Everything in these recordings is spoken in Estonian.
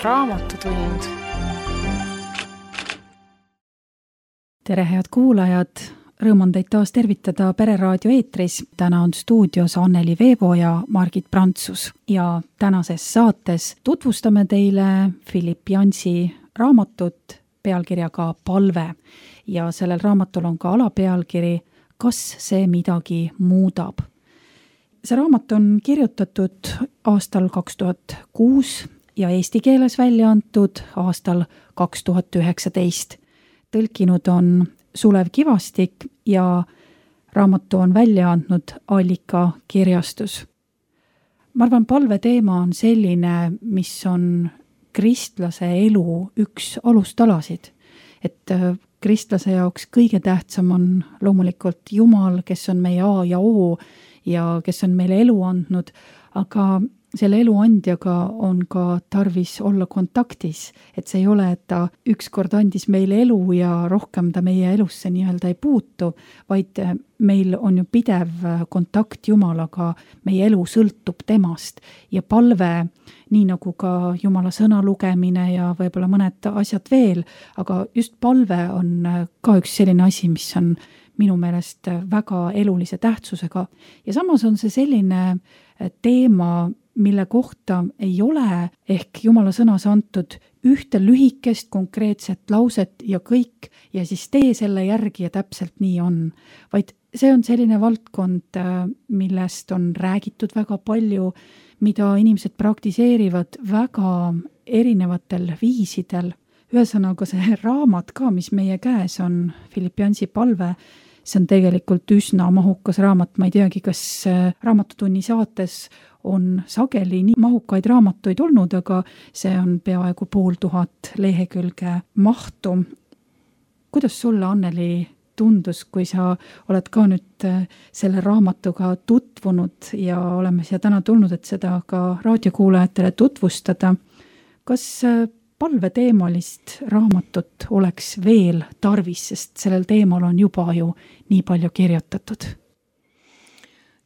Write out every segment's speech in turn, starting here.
Raamatutund. Tere, head kuulajad! Rõõm on teid taas tervitada Pereraadio eetris. Täna on stuudios Anneli Veebo ja Margit Prantsus. Ja tänases saates tutvustame teile Philipp Jansi raamatut pealkirjaga Palve. Ja sellel raamatul on ka alapealkiri Kas see midagi muudab? See raamat on kirjutatud aastal 2006 ja eesti keeles välja antud aastal 2019. Tõlkinud on Sulev Kivastik ja raamatu on välja andnud Allika kirjastus. Ma arvan, palve teema on selline, mis on kristlase elu üks alustalasid. Et kristlase jaoks kõige tähtsam on loomulikult Jumal, kes on meie A ja O ja kes on meile elu andnud, aga selle elu andjaga on ka tarvis olla kontaktis, et see ei ole, et ta ükskord andis meile elu ja rohkem ta meie elusse nii-öelda ei puutu, vaid meil on ju pidev kontakt Jumalaga, meie elu sõltub temast ja palve, nii nagu ka Jumala sõna lugemine ja võib-olla mõned asjad veel, aga just palve on ka üks selline asi, mis on minu meelest väga elulise tähtsusega ja samas on see selline teema, mille kohta ei ole ehk Jumala sõnas antud ühte lühikest konkreetset lauset ja kõik ja siis tee selle järgi ja täpselt nii on. Vaid see on selline valdkond, millest on räägitud väga palju, mida inimesed praktiseerivad väga erinevatel viisidel. Ühesõnaga see raamat ka, mis meie käes on, Philipp Jansi palve, see on tegelikult üsna mahukas raamat. Ma ei teagi, kas Raamatutunni saates on sageli nii mahukaid raamatuid olnud, aga see on peaaegu 500 lehekülge mahtu. Kuidas sulle, Anneli, tundus, kui sa oled ka nüüd selle raamatuga tutvunud ja oleme siia täna tulnud, et seda ka raadiokuulajatele tutvustada? Kas palveteemalist raamatut oleks veel tarvis, sest sellel teemal on juba ju nii palju kirjutatud?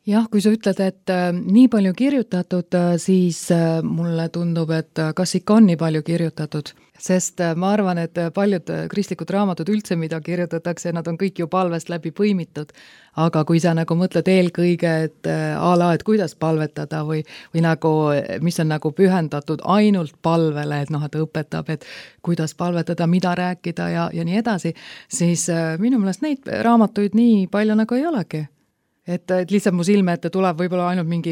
Jah, kui sa ütled, et nii palju kirjutatud, siis mulle tundub, et kas ikka on nii palju kirjutatud, sest ma arvan, et paljud kristlikud raamatud üldse, mida kirjutatakse, nad on kõik ju palvest läbi põimitud, aga kui sa nagu mõtled eelkõige, et et kuidas palvetada või nagu, mis on nagu pühendatud ainult palvele, et et õpetab, et kuidas palvetada, mida rääkida ja nii edasi, siis minu meelest neid raamatuid nii palju nagu ei olegi. Et lihtsalt mu silme ette tuleb võib-olla ainult mingi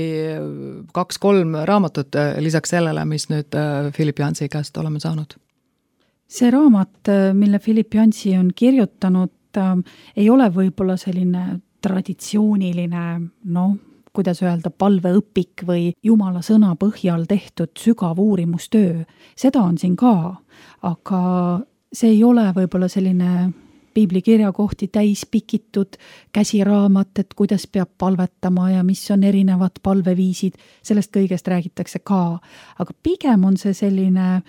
2-3 raamatut lisaks sellele, mis nüüd Philipp Jansi käest oleme saanud. See raamat, mille Philipp Jansi on kirjutanud, ei ole võib-olla selline traditsiooniline, kuidas öelda, palveõpik või Jumala sõna põhjal tehtud sügav uurimustöö. Seda on siin ka, aga see ei ole võib-olla selline piiblikirjakohti täis pikitud käsiraamat, et kuidas peab palvetama ja mis on erinevad palveviisid, sellest kõigest räägitakse ka. Aga pigem on see selline,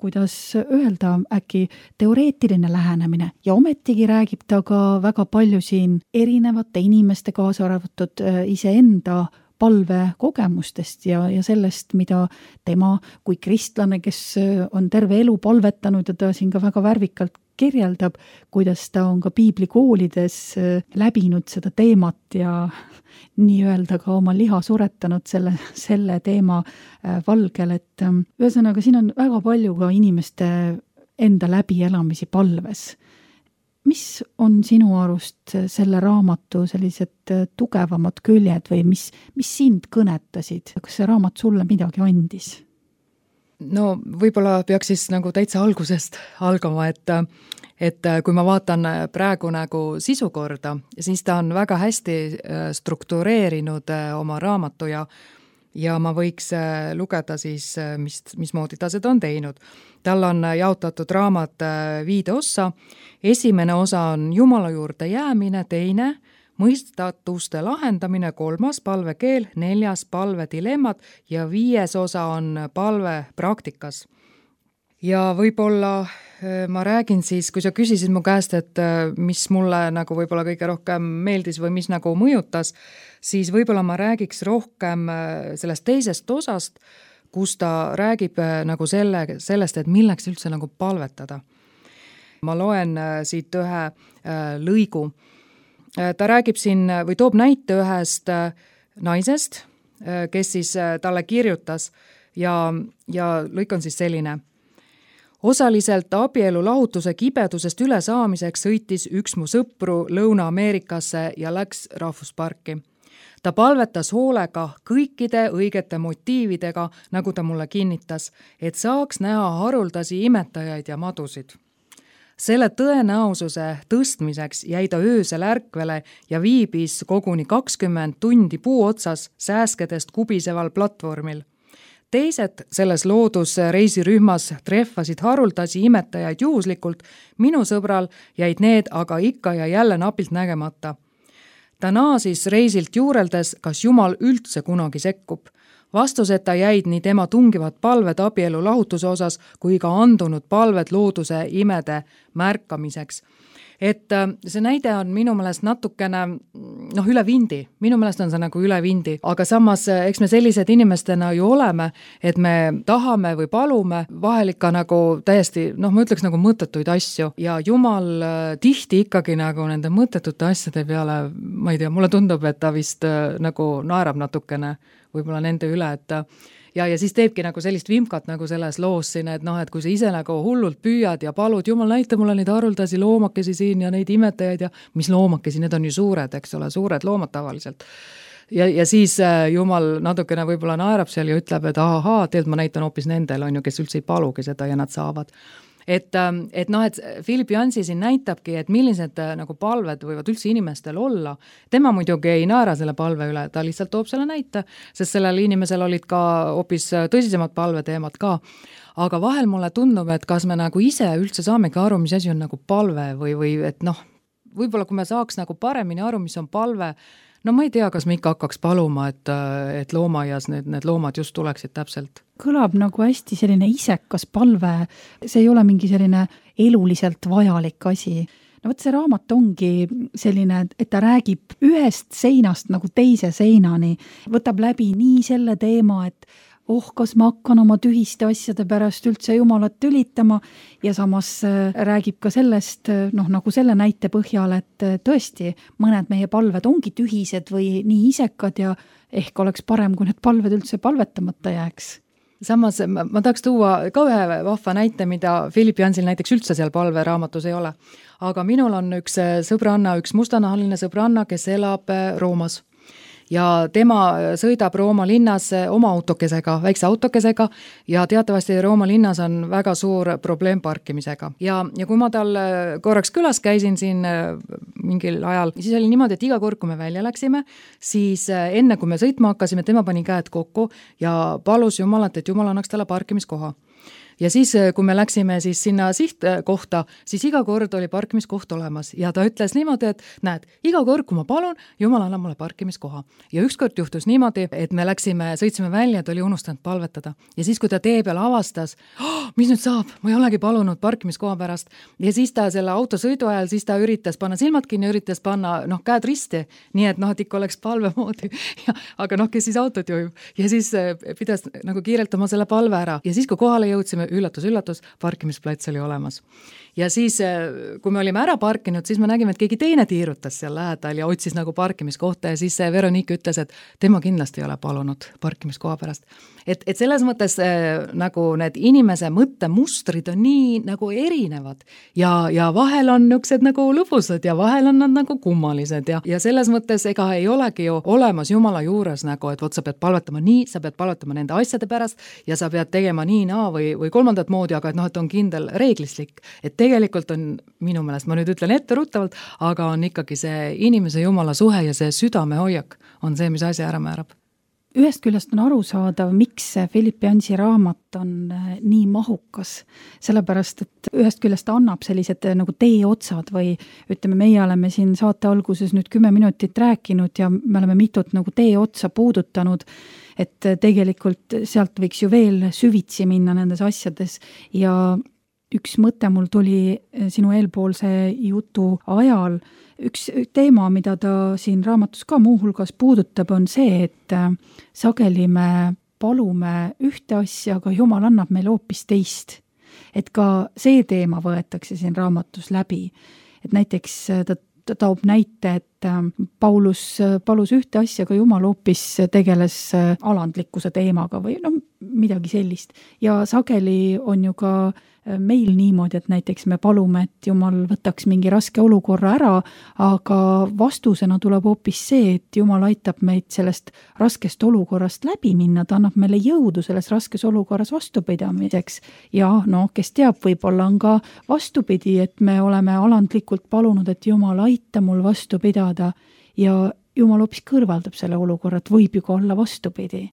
kuidas öelda, äkki teoreetiline lähenemine ja ometigi räägib ta ka väga palju siin erinevate inimeste kaasa arvatud iseenda palvekogemustest ja sellest, mida tema kui kristlane, kes on terve elu palvetanud ja ta siin ka väga värvikalt kirjeldab, kuidas ta on ka piiblikoolides läbinud seda teemat ja nii-öelda ka oma liha suretanud selle teema valgel, et ühesõnaga siin on väga palju ka inimeste enda läbielamisi palves. Mis on sinu arust selle raamatu sellised tugevamad küljed või mis sind kõnetasid? Kas see raamat sulle midagi andis? No võib-olla peaks siis nagu täitsa algusest algama, et kui ma vaatan praegu nagu sisukorda, siis ta on väga hästi struktureerinud oma raamatu ja ma võiks lugeda siis, mismoodi ta seda on teinud. Tal on jaotatud raamat 5 ossa. Esimene osa on Jumala juurde jäämine, teine mõistatuste lahendamine, 3. palvekeel, 4. palvedilemmad ja 5. osa on palve praktikas. Ja võib-olla ma räägin siis, kui sa küsisid mu käest, et mis mulle nagu võib-olla kõige rohkem meeldis või mis nagu mõjutas, siis võib-olla ma räägiks rohkem sellest teisest osast, kus ta räägib nagu sellest, et milleks üldse nagu palvetada. Ma loen siit ühe lõigu. Ta räägib siin või toob näite ühest naisest, kes siis talle kirjutas ja lõik on siis selline. Osaliselt abielu lahutuse kibedusest üle saamiseks sõitis üks mu sõpru Lõuna-Ameerikasse ja läks rahvusparki. Ta palvetas hoolega kõikide õigete motiividega, nagu ta mulle kinnitas, et saaks näha haruldasi imetajaid ja madusid. Selle tõenäosuse tõstmiseks jäi ta öösel ärkvele ja viibis koguni 20 tundi puu otsas sääskedest kubiseval platvormil. Teised selles loodusreisirühmas treffasid haruldasi imetajaid juhuslikult, minu sõbral jäid need aga ikka ja jälle napilt nägemata. Ta naasis reisilt juureldes, kas Jumal üldse kunagi sekkub. Vastuseta jäid nii tema tungivad palved abielu lahutuse osas kui ka andunud palved looduse imede märkamiseks. Et see näide on minu meelest natukene üle vindi. Minu meelest on see nagu üle vindi. Aga samas, eks me sellised inimestena ju oleme, et me tahame või palume vahel ikka nagu täiesti, ma ütleks nagu mõttetuid asju. Ja Jumal tihti ikkagi nagu nende mõttetute asjade peale, ma ei tea, mulle tundub, et ta vist nagu naerab natukene võib-olla nende üle, et ja siis teebki nagu sellist vimkat nagu selles loos siin, et et kui sa ise nagu hullult püüad ja palud, Jumal näita mulle neid haruldasi loomakesi siin ja neid imetajaid ja mis loomakesi, need on ju suured, eks ole, suured loomad tavaliselt. Ja siis Jumal natukene võib-olla naerab seal ja ütleb, et tegelikult ma näitan hoopis nendel, on ju, kes üldse ei palugi seda ja nad saavad. Et Philip Yancey siin näitabki, et millised nagu palved võivad üldse inimestel olla. Tema muidugi ei naera selle palve üle, ta lihtsalt toob selle näite, sest sellel inimesel olid ka hoopis tõsisemad palveteemad ka. Aga vahel mulle tundub, et kas me nagu ise üldse saamegi aru, mis asi on nagu palve või et võib-olla kui me saaks nagu paremini aru, mis on palve, ma ei tea, kas me ikka hakkaks paluma, et loomaaias need loomad just tuleksid täpselt. Kõlab nagu hästi selline isekas palve, see ei ole mingi selline eluliselt vajalik asi. Võt see raamat ongi selline, et ta räägib ühest seinast nagu teise seinani, võtab läbi nii selle teema, et kas ma hakkan oma tühiste asjade pärast üldse Jumalat tülitama ja samas räägib ka sellest, nagu selle näite põhjal, et tõesti mõned meie palved ongi tühised või nii isekad ja ehk oleks parem, kui need palved üldse palvetamata jääks. Samas ma tahaks tuua ka ühe vahva näite, mida Philip Yanceyl näiteks üldse seal palveraamatus ei ole. Aga minul on üks sõbranna, üks mustanahaline sõbranna, kes elab Roomas. Ja tema sõidab Rooma linnas oma autokesega, väikse autokesega ja teatavasti Rooma linnas on väga suur probleem parkimisega. Ja kui ma tal korraks külas käisin siin mingil ajal, siis oli niimoodi, et iga kord, kui me välja läksime, siis enne kui me sõitma hakkasime, tema pani käed kokku ja palus Jumalat, et Jumal annaks talle parkimiskoha. Ja siis, kui me läksime siis sinna sihtkohta, siis iga kord oli parkimiskoht olemas ja ta ütles niimoodi, et näed, iga kord, kui ma palun, Jumal annab mulle parkimiskoha. Ja ükskord juhtus niimoodi, et me sõitsime välja, ta oli unustanud palvetada. Ja siis, kui ta tee peal avastas, mis nüüd saab, ma ei olegi palunud parkimiskoha pärast. Ja siis ta selle autosõidu ajal, siis ta üritas panna silmad kinni, üritas panna käed risti, nii et ikka oleks palve moodi. Aga kes siis autot juhib. Ja siis pidas nagu kiireltama selle palve ära. Ja siis, kui kohale jõudsime, üllatus, parkimisplats oli olemas. Ja siis, kui me olime ära parkinud, siis me nägime, et keegi teine tiirutas seal lähedal ja otsis nagu parkimiskohta ja siis Veronique ütles, et tema kindlasti ei ole palunud parkimiskoha pärast. Et selles mõttes nagu need inimese mõttemustrid on nii nagu erinevad ja vahel on niisugused nagu lõbusad ja vahel on nad nagu kummalised ja selles mõttes ega ei olegi ju olemas Jumala juures nagu, et sa pead palvetama nii, sa pead palvetama nende asjade pärast ja sa pead tegema nii või kolmandat moodi, aga et on kindel reeglislik, et tegelikult on minu meelest, ma nüüd ütlen etteruttavalt, aga on ikkagi see inimese Jumala suhe ja see südamehoiak on see, mis asja ära määrab. Ühest küljest on arusaadav, miks Philip Yancey raamat on nii mahukas, sellepärast, et ühest küljest annab sellised nagu teeotsad või ütleme, meie oleme siin saate alguses nüüd 10 minutit rääkinud ja me oleme mitut nagu teeotsa puudutanud, et tegelikult sealt võiks ju veel süvitsi minna nendes asjades ja üks mõte mul tuli sinu eelpoolse jutu ajal. Üks teema, mida ta siin raamatus ka muuhulgas puudutab, on see, et sageli me palume ühte asja, aga Jumal annab meile hoopis teist. Et ka see teema võetakse siin raamatus läbi. Et näiteks ta toob näite, et Paulus palus ühte asja, aga Jumal hoopis tegeles alandlikkuse teemaga või midagi sellist. Ja sageli on ju ka meil niimoodi, et näiteks me palume, et Jumal võtaks mingi raske olukorra ära, aga vastusena tuleb hoopis see, et Jumal aitab meid sellest raskest olukorrast läbi minna, ta annab meile jõudu selles raskes olukorras vastupidamiseks. Ja kes teab, võib-olla on ka vastupidi, et me oleme alandlikult palunud, et Jumal aita mul vastu pidada ja Jumal hoopis kõrvaldab selle olukorra, et võib ju ka olla vastupidi.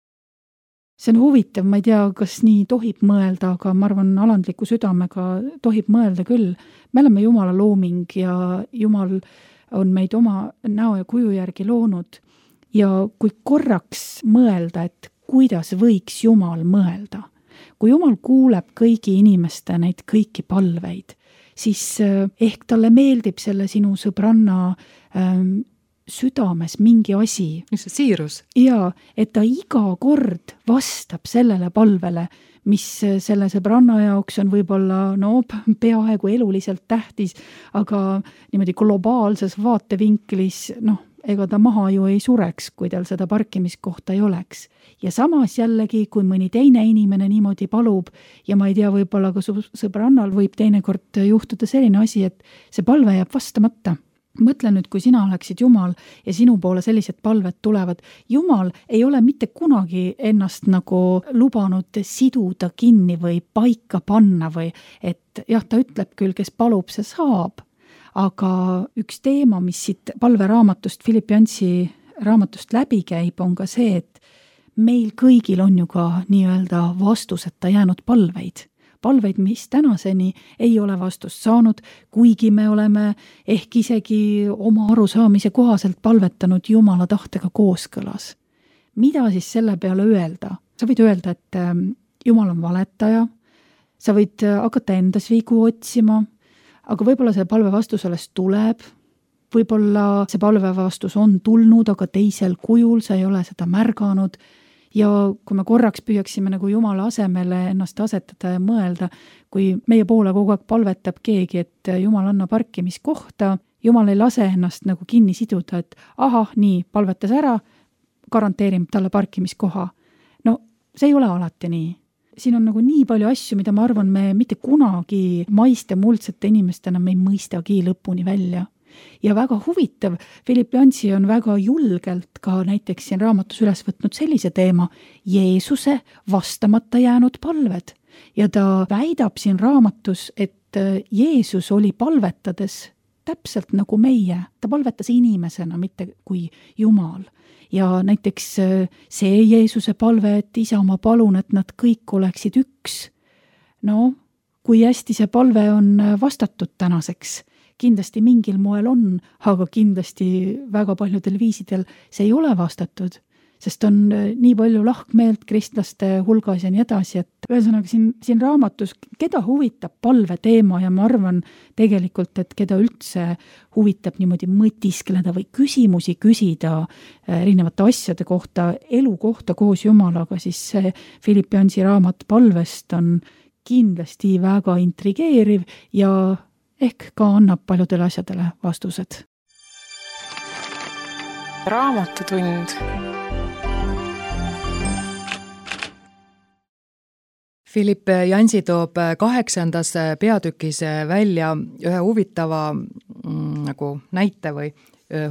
See on huvitav, ma ei tea, kas nii tohib mõelda, aga ma arvan, alandliku südamega tohib mõelda küll. Me oleme Jumala looming ja Jumal on meid oma näo ja kuju järgi loonud. Ja kui korraks mõelda, et kuidas võiks Jumal mõelda, kui Jumal kuuleb kõigi inimeste neid kõiki palveid, siis ehk talle meeldib selle sinu sõbranna südames mingi asi. Mis see siirus? Ja, et ta iga kord vastab sellele palvele, mis selle sõbranna jaoks on võib-olla peaaegu eluliselt tähtis, aga niimoodi globaalses vaatevinklis, ega ta maha ju ei sureks, kui tal seda parkimiskohta ei oleks. Ja samas jällegi, kui mõni teine inimene niimoodi palub ja ma ei tea, võib-olla ka sõbrannal võib teinekord juhtuda selline asi, et see palve jääb vastamata. Mõtle nüüd, kui sina oleksid Jumal ja sinu poole sellised palved tulevad. Jumal ei ole mitte kunagi ennast nagu lubanud siduda kinni või paika panna või et jah, ta ütleb küll, kes palub, see saab. Aga üks teema, mis siit palveraamatust, Philippiansi raamatust läbi käib, on ka see, et meil kõigil on ju ka nii-öelda vastuseta jäänud palveid. Palveid, mis tänaseni ei ole vastust saanud, kuigi me oleme ehk isegi oma arusaamise kohaselt palvetanud Jumala tahtega kooskõlas. Mida siis selle peale öelda? Sa võid öelda, et Jumal on valetaja, sa võid hakata endas vigu otsima, aga võib-olla see palve vastus alles tuleb, võib-olla see palve vastus on tulnud, aga teisel kujul sa ei ole seda märganud. Ja kui me korraks püüaksime nagu Jumala asemele ennast asetada ja mõelda, kui meie poole kogu aeg palvetab keegi, et Jumal anna parkimiskohta, Jumal ei lase ennast nagu kinni siduda, et nii, palvetas ära, garanteerim talle parkimiskoha. See ei ole alati nii. Siin on nagu nii palju asju, mida ma arvan, me mitte kunagi maiste muldsete inimestena me ei mõistagi lõpuni välja. Ja väga huvitav, Philippiansi on väga julgelt ka näiteks siin raamatus üles võtnud sellise teema, Jeesuse vastamata jäänud palved. Ja ta väidab siin raamatus, et Jeesus oli palvetades täpselt nagu meie. Ta palvetas inimesena, mitte kui Jumal. Ja näiteks see Jeesuse palve, et Isa, ma palun, et nad kõik oleksid üks. Kui hästi see palve on vastatud tänaseks? Kindlasti mingil moel on, aga kindlasti väga paljudel viisidel see ei ole vastatud, sest on nii palju lahkmeelt kristlaste hulgas ja nii edasi, et ühesõnaga siin raamatus, keda huvitab palve teema ja ma arvan tegelikult, et keda üldse huvitab niimoodi mõtiskleda või küsimusi küsida erinevate asjade kohta, elu kohta koos Jumalaga, siis see Philippiansi raamat palvest on kindlasti väga intrigeeriv ja ehk ka annab paljudele asjadele vastused. Raamatutund. Philipp Jansi toob 8. peatükis välja ühe huvitava nagu näite või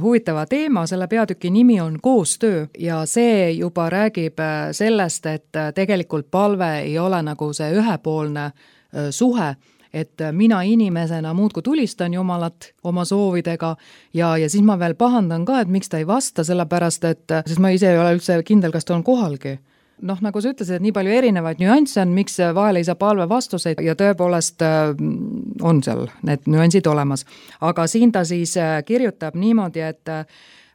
huvitava teema, selle peatüki nimi on koostöö ja see juba räägib sellest, et tegelikult palve ei ole nagu see ühepoolne suhe, et mina inimesena muudku tulistan Jumalat oma soovidega ja siis ma veel pahandan ka, et miks ta ei vasta, sellepärast, sest ma ise ei ole üldse kindel, kas ta on kohalgi. Nagu sa ütlesid, et nii palju erinevaid nüansse on, miks vahel ei saa palve vastuseid ja tõepoolest on seal need nüansid olemas. Aga siin ta siis kirjutab niimoodi, et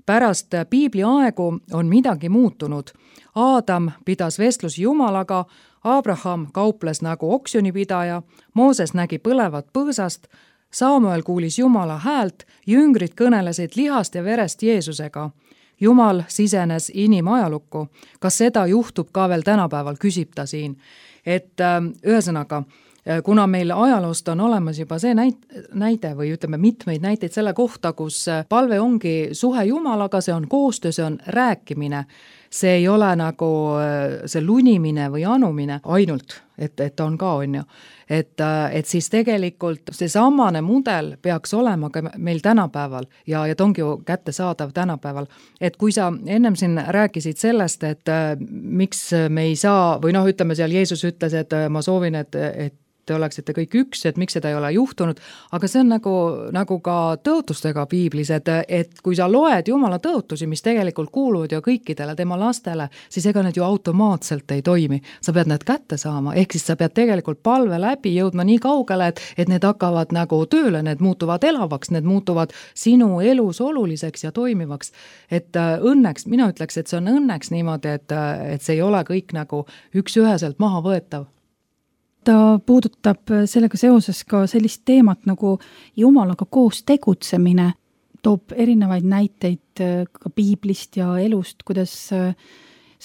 pärast piibli aegu on midagi muutunud. Aadam pidas vestlusi Jumalaga, Abraham kauples nagu oksjonipidaja, Mooses nägi põlevat põõsast, Samuel kuulis Jumala häält, jüngrid kõnelesid lihast ja verest Jeesusega. Jumal sisenes inimajalukku, kas seda juhtub ka veel tänapäeval, küsib ta siin. Et ühesõnaga, kuna meil ajaloost on olemas juba see näide või ütleme mitmeid näiteid selle kohta, kus palve ongi suhe Jumalaga, see on koostöö, see on rääkimine, see ei ole nagu see lunimine või anumine ainult, et on ka, on ju. Et siis tegelikult see samane mudel peaks olema ka meil tänapäeval ja ta ongi ju kättesaadav tänapäeval. Et kui sa ennem siin rääkisid sellest, et miks me ei saa, või ütleme seal Jeesus ütles, et ma soovin, et te oleksite kõik üks, et miks seda ei ole juhtunud, aga see on nagu ka tõotustega piiblis, et kui sa loed Jumala tõotusi, mis tegelikult kuuluvad ju kõikidele tema lastele, siis ega need ju automaatselt ei toimi. Sa pead need kätte saama, ehk siis sa pead tegelikult palve läbi jõudma nii kaugele, et need hakkavad nagu tööle, need muutuvad elavaks, need muutuvad sinu elus oluliseks ja toimivaks. Et õnneks, mina ütleks, et see on õnneks niimoodi, et see ei ole kõik nagu üks-üheselt maha võetav. Ta puudutab sellega seoses ka sellist teemat nagu Jumalaga koos tegutsemine, toob erinevaid näiteid ka piiblist ja elust, kuidas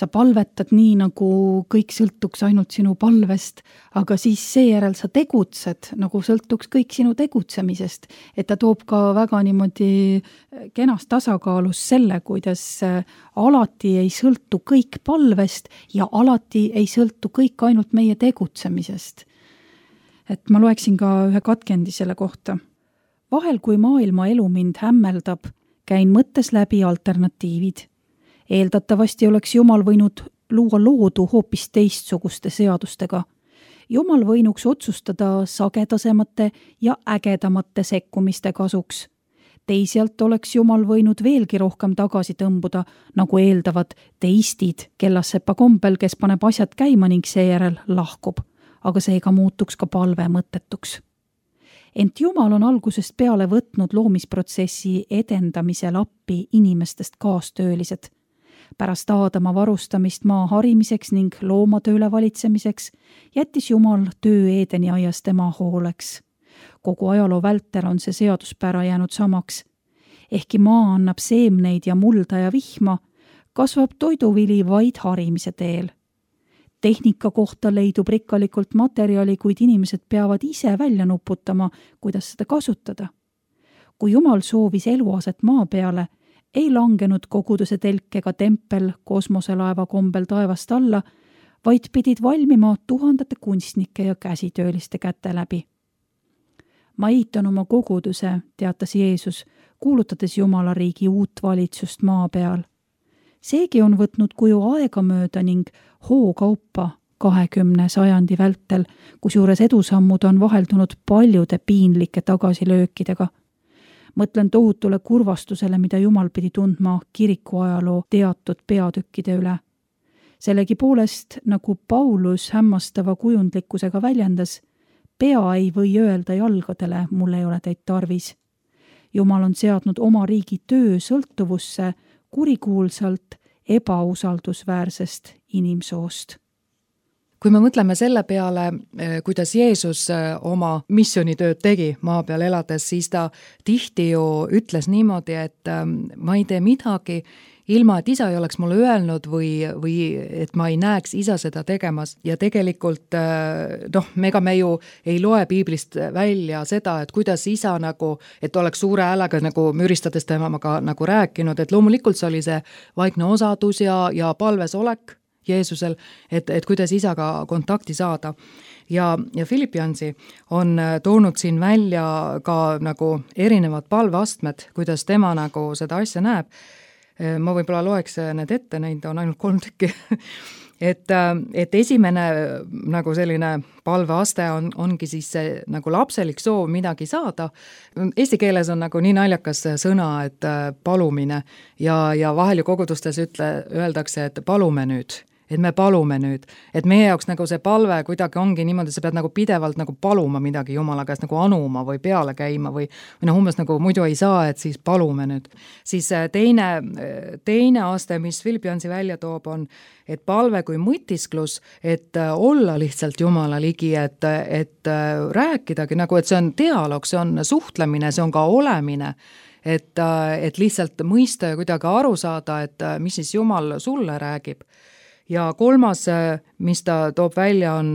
sa palvetad nii, nagu kõik sõltuks ainult sinu palvest, aga siis seejärel sa tegutsed, nagu sõltuks kõik sinu tegutsemisest. Et ta toob ka väga niimoodi kenas tasakaalus selle, kuidas alati ei sõltu kõik palvest ja alati ei sõltu kõik ainult meie tegutsemisest. Et ma loeksin ka ühe katkendi selle kohta. Vahel, kui maailma elu mind hämmeldab, käin mõttes läbi alternatiivid. Eeldatavasti oleks Jumal võinud luua loodu hoopis teistsuguste seadustega. Jumal võinuks otsustada sagedasemate ja ägedamate sekkumiste kasuks. Teisalt oleks Jumal võinud veelgi rohkem tagasi tõmbuda, nagu eeldavad teistid, kellassepa kombel, kes paneb asjad käima ning seejärel lahkub, aga seega muutuks ka palve mõttetuks. Ent Jumal on algusest peale võtnud loomisprotsessi edendamisel appi inimestest kaastöölised. Pärast Aadama varustamist maa harimiseks ning loomatöö üle valitsemiseks jättis Jumal töö Eedeni aias tema hooleks. Kogu ajaloo vältel on see seaduspära jäänud samaks. Ehkki maa annab seemneid ja mulda ja vihma, kasvab toiduvili vaid harimise teel. Tehnika kohta leidub rikkalikult materjali, kuid inimesed peavad ise välja nuputama, kuidas seda kasutada. Kui Jumal soovis eluaset maa peale, ei langenud koguduse telk ega tempel kosmoselaeva kombel taevast alla, vaid pidid valmima tuhandete kunstnike ja käsitööliste käte läbi. Ma ehitan oma koguduse, teatas Jeesus, kuulutades Jumala riigi uut valitsust maa peal. Seegi on võtnud kuju aegamööda ning hookaupa 20 sajandi vältel, kusjuures edusammud on vaheldunud paljude piinlike tagasilöökidega. Mõtlen tohutule kurvastusele, mida Jumal pidi tundma kirikuajaloo teatud peatükkide üle. Sellegi poolest, nagu Paulus hämmastava kujundlikkusega väljendas, pea ei või öelda jalgadele, mul ei ole teid tarvis. Jumal on seadnud oma riigi töö sõltuvusse kurikuulsalt ebausaldusväärsest inimsoost. Kui me mõtleme selle peale, kuidas Jeesus oma missioonitööd tegi maa peal elades, siis ta tihti ju ütles niimoodi, et ma ei tee midagi, ilma et isa ei oleks mulle öelnud või et ma ei näeks isa seda tegemas. Ja tegelikult, me ju ei loe piiblist välja seda, et kuidas isa nagu, et oleks suure häälega nagu müristades temaga nagu rääkinud, et loomulikult see oli see vaikne osadus ja palves olek Jeesusel, et kuidas isaga kontakti saada. Ja Philippiansi on toonud siin välja ka nagu erinevad palveastmed, kuidas tema nagu seda asja näeb. Ma võib-olla loeks need ette, neid on ainult 3 tükki. Et esimene nagu selline palveaste ongi siis see nagu lapselik soov midagi saada. Eesti keeles on nagu nii naljakas sõna, et palumine ja vahel ju kogudustes öeldakse, et palume nüüd. Et me palume nüüd, et meie jaoks nagu see palve kuidagi ongi niimoodi, sa pead nagu pidevalt nagu paluma midagi Jumala käest nagu anuma või peale käima või umbes nagu muidu ei saa, et siis palume nüüd. Siis teine aste, mis Philippiansi välja toob, on, et palve kui mõtisklus, et olla lihtsalt Jumala ligi, et rääkidagi nagu, et see on dialoog, see on suhtlemine, see on ka olemine. et lihtsalt mõista ja kuidagi aru saada, et mis siis Jumal sulle räägib. Ja kolmas, mis ta toob välja, on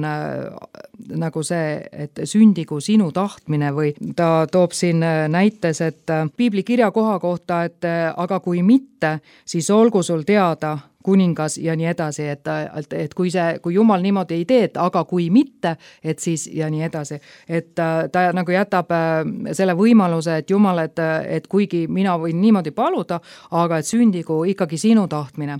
nagu see, et sündigu sinu tahtmine või ta toob siin näites, et piibli kirjakoha kohta, et aga kui mitte, siis olgu sul teada, kuningas ja nii edasi, et kui Jumal niimoodi ei tee, et aga kui mitte, et siis ja nii edasi. Et ta nagu jätab selle võimaluse, et Jumal, et kuigi mina võin niimoodi paluda, aga et sündigu ikkagi sinu tahtmine.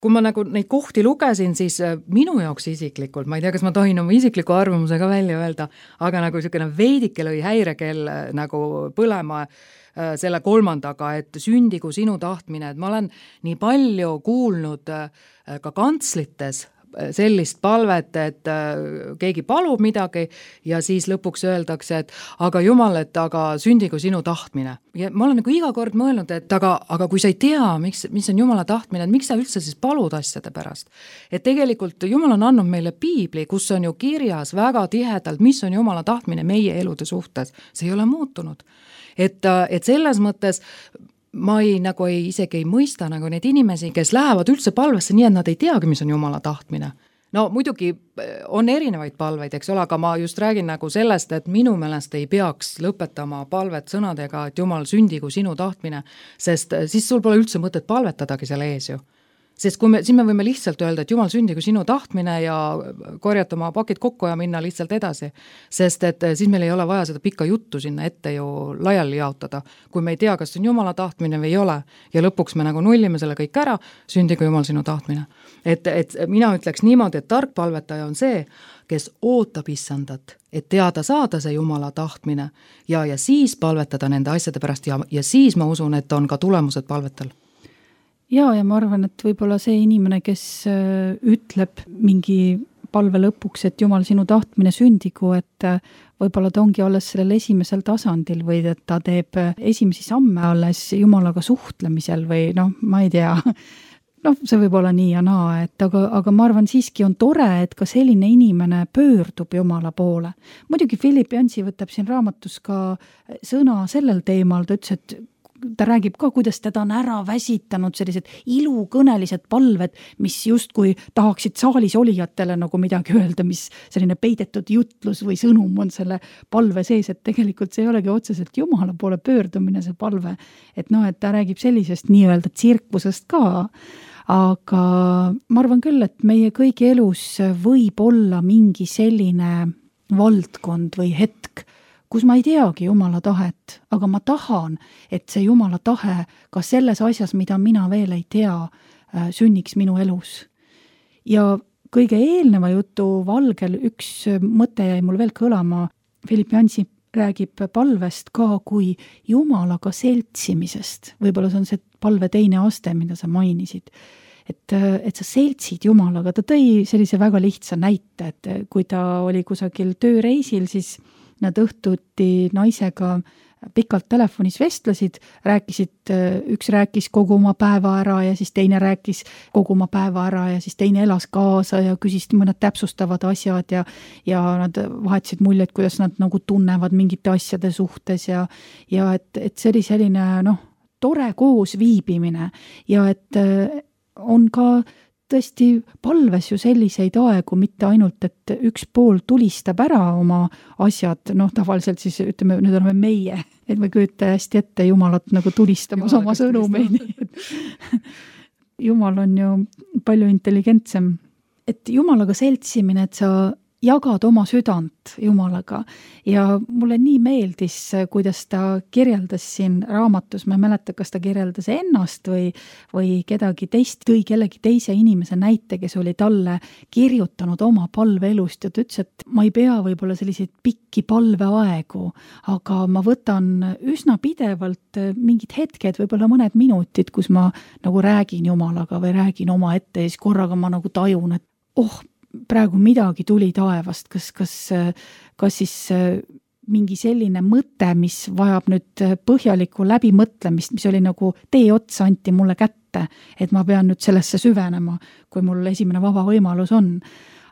Kui ma nagu neid kohti lugesin, siis minu jaoks isiklikult, ma ei tea, kas ma tohin oma isikliku arvamuse ka välja öelda, aga nagu niisugune veidike lõi häirekell nagu põlema selle kolmandaga, et sündigu sinu tahtmine, et ma olen nii palju kuulnud ka kantslites sellist palvet, et keegi palub midagi ja siis lõpuks öeldakse, et aga Jumal, et aga sündigu sinu tahtmine. Ja ma olen nagu iga kord mõelnud, et aga kui sa ei tea, mis on Jumala tahtmine, et miks sa üldse siis palud asjade pärast. Et tegelikult Jumal on andnud meile piibli, kus on ju kirjas väga tihedalt, mis on Jumala tahtmine meie elude suhtes. See ei ole muutunud. Et selles mõttes ma isegi ei mõista nagu neid inimesi, kes lähevad üldse palvesse nii, et nad ei teagi, mis on Jumala tahtmine. No muidugi on erinevaid palveid, eks ole, aga ma just räägin nagu sellest, et minu meelest ei peaks lõpetama palvet sõnadega, et Jumal sündigu sinu tahtmine, sest siis sul pole üldse mõtet palvetadagi selle ees ju. Sest siis me võime lihtsalt öelda, et Jumal sündigu sinu tahtmine ja korjata oma pakid kokku ja minna lihtsalt edasi. Sest et siis meil ei ole vaja seda pikka juttu sinna ette ju laiali jaotada, kui me ei tea, kas on Jumala tahtmine või ei ole. Ja lõpuks me nagu nullime selle kõik ära, sündigu Jumal sinu tahtmine. Et mina ütleks niimoodi, et tark palvetaja on see, kes ootab issandat, et teada saada see Jumala tahtmine ja siis palvetada nende asjade pärast ja siis ma usun, et on ka tulemused palvetal. Ja ma arvan, et võib-olla see inimene, kes ütleb mingi palve lõpuks, et Jumal sinu tahtmine sündigu, et võib-olla ta ongi alles sellel esimesel tasandil või et ta teeb esimesi samme alles Jumalaga suhtlemisel või ma ei tea, see võib olla nii ja naa, et aga ma arvan siiski on tore, et ka selline inimene pöördub Jumala poole. Muidugi Philip Jansi võtab siin raamatus ka sõna sellel teemal, ta ütles, et ta räägib ka, kuidas teda on ära väsitanud sellised ilukõnelised palved, mis justkui tahaksid saalis olijatele nagu midagi öelda, mis selline peidetud jutlus või sõnum on selle palve sees, et tegelikult see ei olegi otseselt Jumala poole pöördumine see palve. Et et ta räägib sellisest nii-öelda tsirkusest ka, aga ma arvan küll, et meie kõigi elus võib olla mingi selline valdkond või hetk, kus ma ei teagi Jumala tahet, aga ma tahan, et see Jumala tahe ka selles asjas, mida mina veel ei tea, sünniks minu elus. Ja kõige eelneva jutu valgel üks mõte jäi mul veel kõlama. Philip Jansi räägib palvest ka kui Jumalaga seltsimisest. Võib-olla see on see palve teine aste, mida sa mainisid. Et sa seltsid Jumalaga. Ta tõi sellise väga lihtsa näite, et kui ta oli kusagil tööreisil, siis nad õhtuti naisega pikalt telefonis vestlesid, üks rääkis kogu oma päeva ära ja siis teine rääkis kogu oma päeva ära ja siis teine elas kaasa ja küsis mõned täpsustavad asjad ja nad vahetasid muljeid, kuidas nad nagu tunnevad mingite asjade suhtes ja et see oli selline tore koos viibimine ja et on ka tõesti palves ju selliseid aegu, mitte ainult, et üks pool tulistab ära oma asjad, tavaliselt siis ütleme, nüüd oleme meie, et me kujutame hästi ette Jumalat nagu tulistamas oma sõnumeid. Jumal on ju palju intelligentsem. Et Jumalaga seltsimine, et sa jagad oma südant Jumalaga ja mulle nii meeldis, kuidas ta kirjeldas siin raamatus, ma ei mäleta, kas ta kirjeldas ennast või kedagi teist, tõi kellegi teise inimese näite, kes oli talle kirjutanud oma palveelust ja ta ütles, et ma ei pea võib-olla selliseid pikki palveaegu, aga ma võtan üsna pidevalt mingid hetked, võib-olla mõned minutid, kus ma nagu räägin Jumalaga või räägin oma ette ja siis korraga ma nagu tajun, et praegu midagi tuli taevast, kas siis mingi selline mõte, mis vajab nüüd põhjalikku läbimõtlemist, mis oli nagu tee otsa anti mulle kätte, et ma pean nüüd sellesse süvenema, kui mul esimene vaba võimalus on.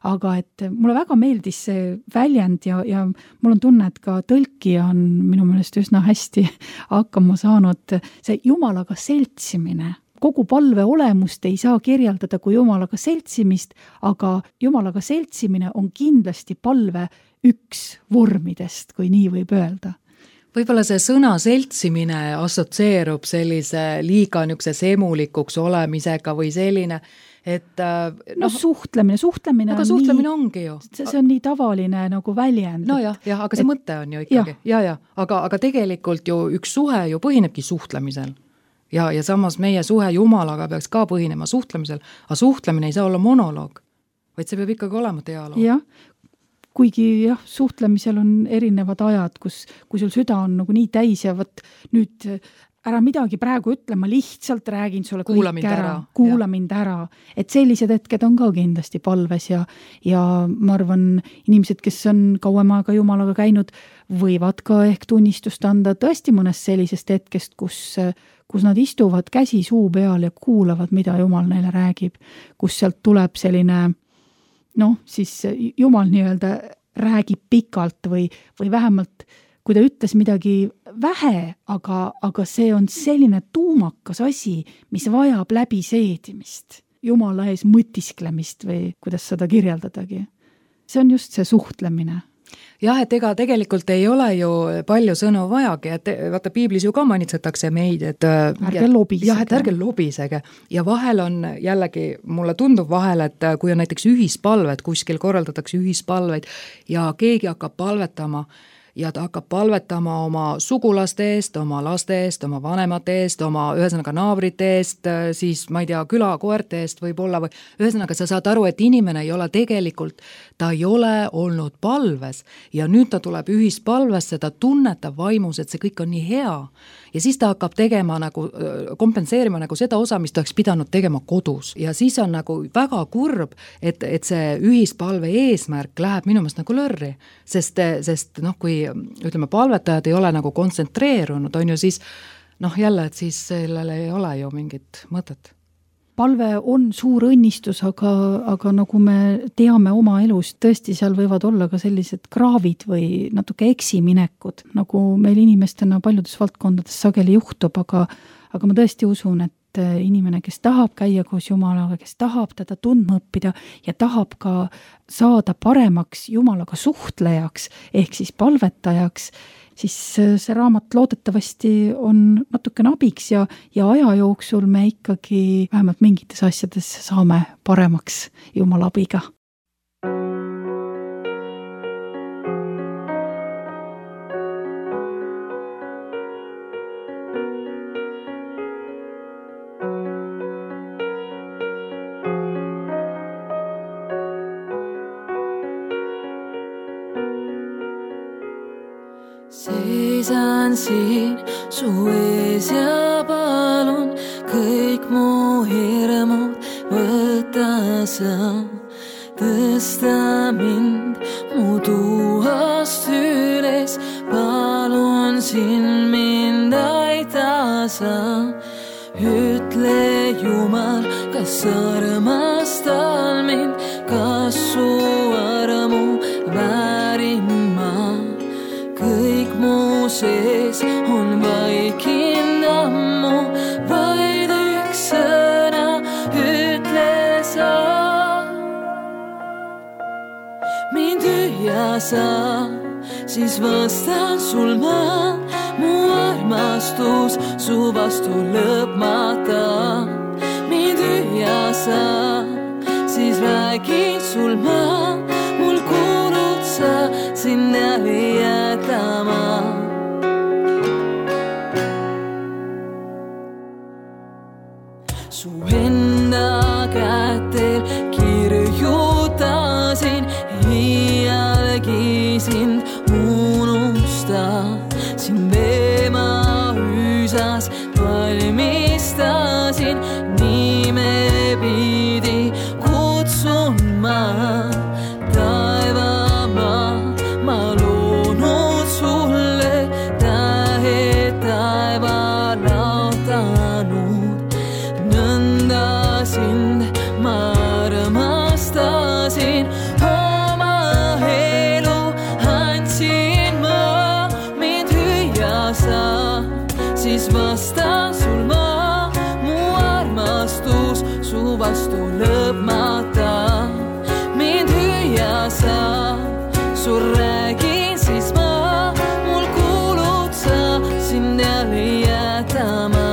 aga et mulle väga meeldis see väljend ja mul on tunne, et ka tõlkija on minu meelest üsna hästi hakkama saanud see Jumalaga seltsimine. Kogu palve olemust ei saa kirjeldada kui Jumalaga seltsimist, aga Jumalaga seltsimine on kindlasti palve üks vormidest, kui nii võib öelda. Võib-olla see sõna seltsimine assotsieerub sellise liiga niisuguse semulikuks olemisega või selline, et suhtlemine aga suhtlemine ongi ju. See on nii tavaline nagu väljend. No jah, aga see mõte on ju ikkagi. Ja. Aga tegelikult ju üks suhe ju põhinebki suhtlemisel. Ja samas meie suhe Jumalaga peaks ka põhinema suhtlemisel, aga suhtlemine ei saa olla monoloog, vaid see peab ikkagi olema dialoog. Jah, kuigi suhtlemisel on erinevad ajad, kui sul süda on nagu nii täis ja võt nüüd ära midagi praegu ütle, ma lihtsalt räägin sulle kuula kõik ära. Kuula mind ära. Et sellised hetked on ka kindlasti palves ja ma arvan, inimesed, kes on kauem aega Jumalaga käinud, võivad ka ehk tunnistust anda tõesti mõnest sellisest hetkest, kus nad istuvad käsi suu peal ja kuulavad, mida Jumal neile räägib, kus sealt tuleb selline siis Jumal nii-öelda räägib pikalt või vähemalt kui ta ütles midagi vähe, aga see on selline tuumakas asi, mis vajab läbiseedimist, Jumala ees mõtisklemist või kuidas seda kirjeldadagi. See on just see suhtlemine. Jah, et ega tegelikult ei ole ju palju sõnu vajagi, et vaata piiblis ju ka manitsetakse meid, et ärge lobisege. Jah, et ärge lobisege. Ja vahel on jällegi, mulle tundub vahel, et kui on näiteks ühispalved, kuskil korraldatakse ühispalveid ja keegi hakkab palvetama ja ta hakkab palvetama oma sugulaste eest, oma laste eest, oma vanemate eest, oma ühesõnaga naabrite eest, siis ma ei tea, külakoerte eest võib-olla või ühesõnaga sa saad aru, et inimene ei ole tegelikult, ta ei ole olnud palves ja nüüd ta tuleb ühispalvesse, ta tunnetab vaimus, et see kõik on nii hea ja siis ta hakkab tegema nagu, kompenseerima nagu seda osa, mis ta oleks pidanud tegema kodus ja siis on nagu väga kurb, et see ühispalve eesmärk läheb minu meelest nagu lörri, sest kui ütleme, palvetajad ei ole nagu kontsentreerunud, on ju siis jälle, et siis sellele ei ole ju mingit mõtet. Palve on suur õnnistus, aga nagu me teame oma elust, tõesti seal võivad olla ka sellised kraavid või natuke eksiminekud, nagu meil inimestena paljudes valdkondades sageli juhtub, aga ma tõesti usun, et inimene, kes tahab käia koos Jumalaga, kes tahab teda tundma õppida ja tahab ka saada paremaks Jumalaga suhtlejaks ehk siis palvetajaks, siis see raamat loodetavasti on natukene abiks ja aja jooksul me ikkagi vähemalt mingites asjades saame paremaks Jumala abiga. Seisan siin su ees ja palun kõik mu hirmud võta sa, tõsta mind mu tuhast üles, palun siin mind aita sa. Ütle Jumal, kas armastad mind, kas su armu väärin ma. Kõik mu sees on vaikind ammu, vaid üks sõna ütle sa. Mind tühja sa, siis vastan sul ma, mu armastus su vastu lõpmata. Mind tühja sa, siis räägin sul ma, mul kuulud sa sinna jätama. Su enda kätel kirjutasin, iialgi sind unusta. Sind teema hüüsas valmistasin, nime pidi kutsun ma. Sind ma armastasin, sa, siis vasta sul ma, mu armastus su vastu lõpmata. Mind hüüa sa, sul räägin siis ma, mul kuulud sa sind jälle jätama.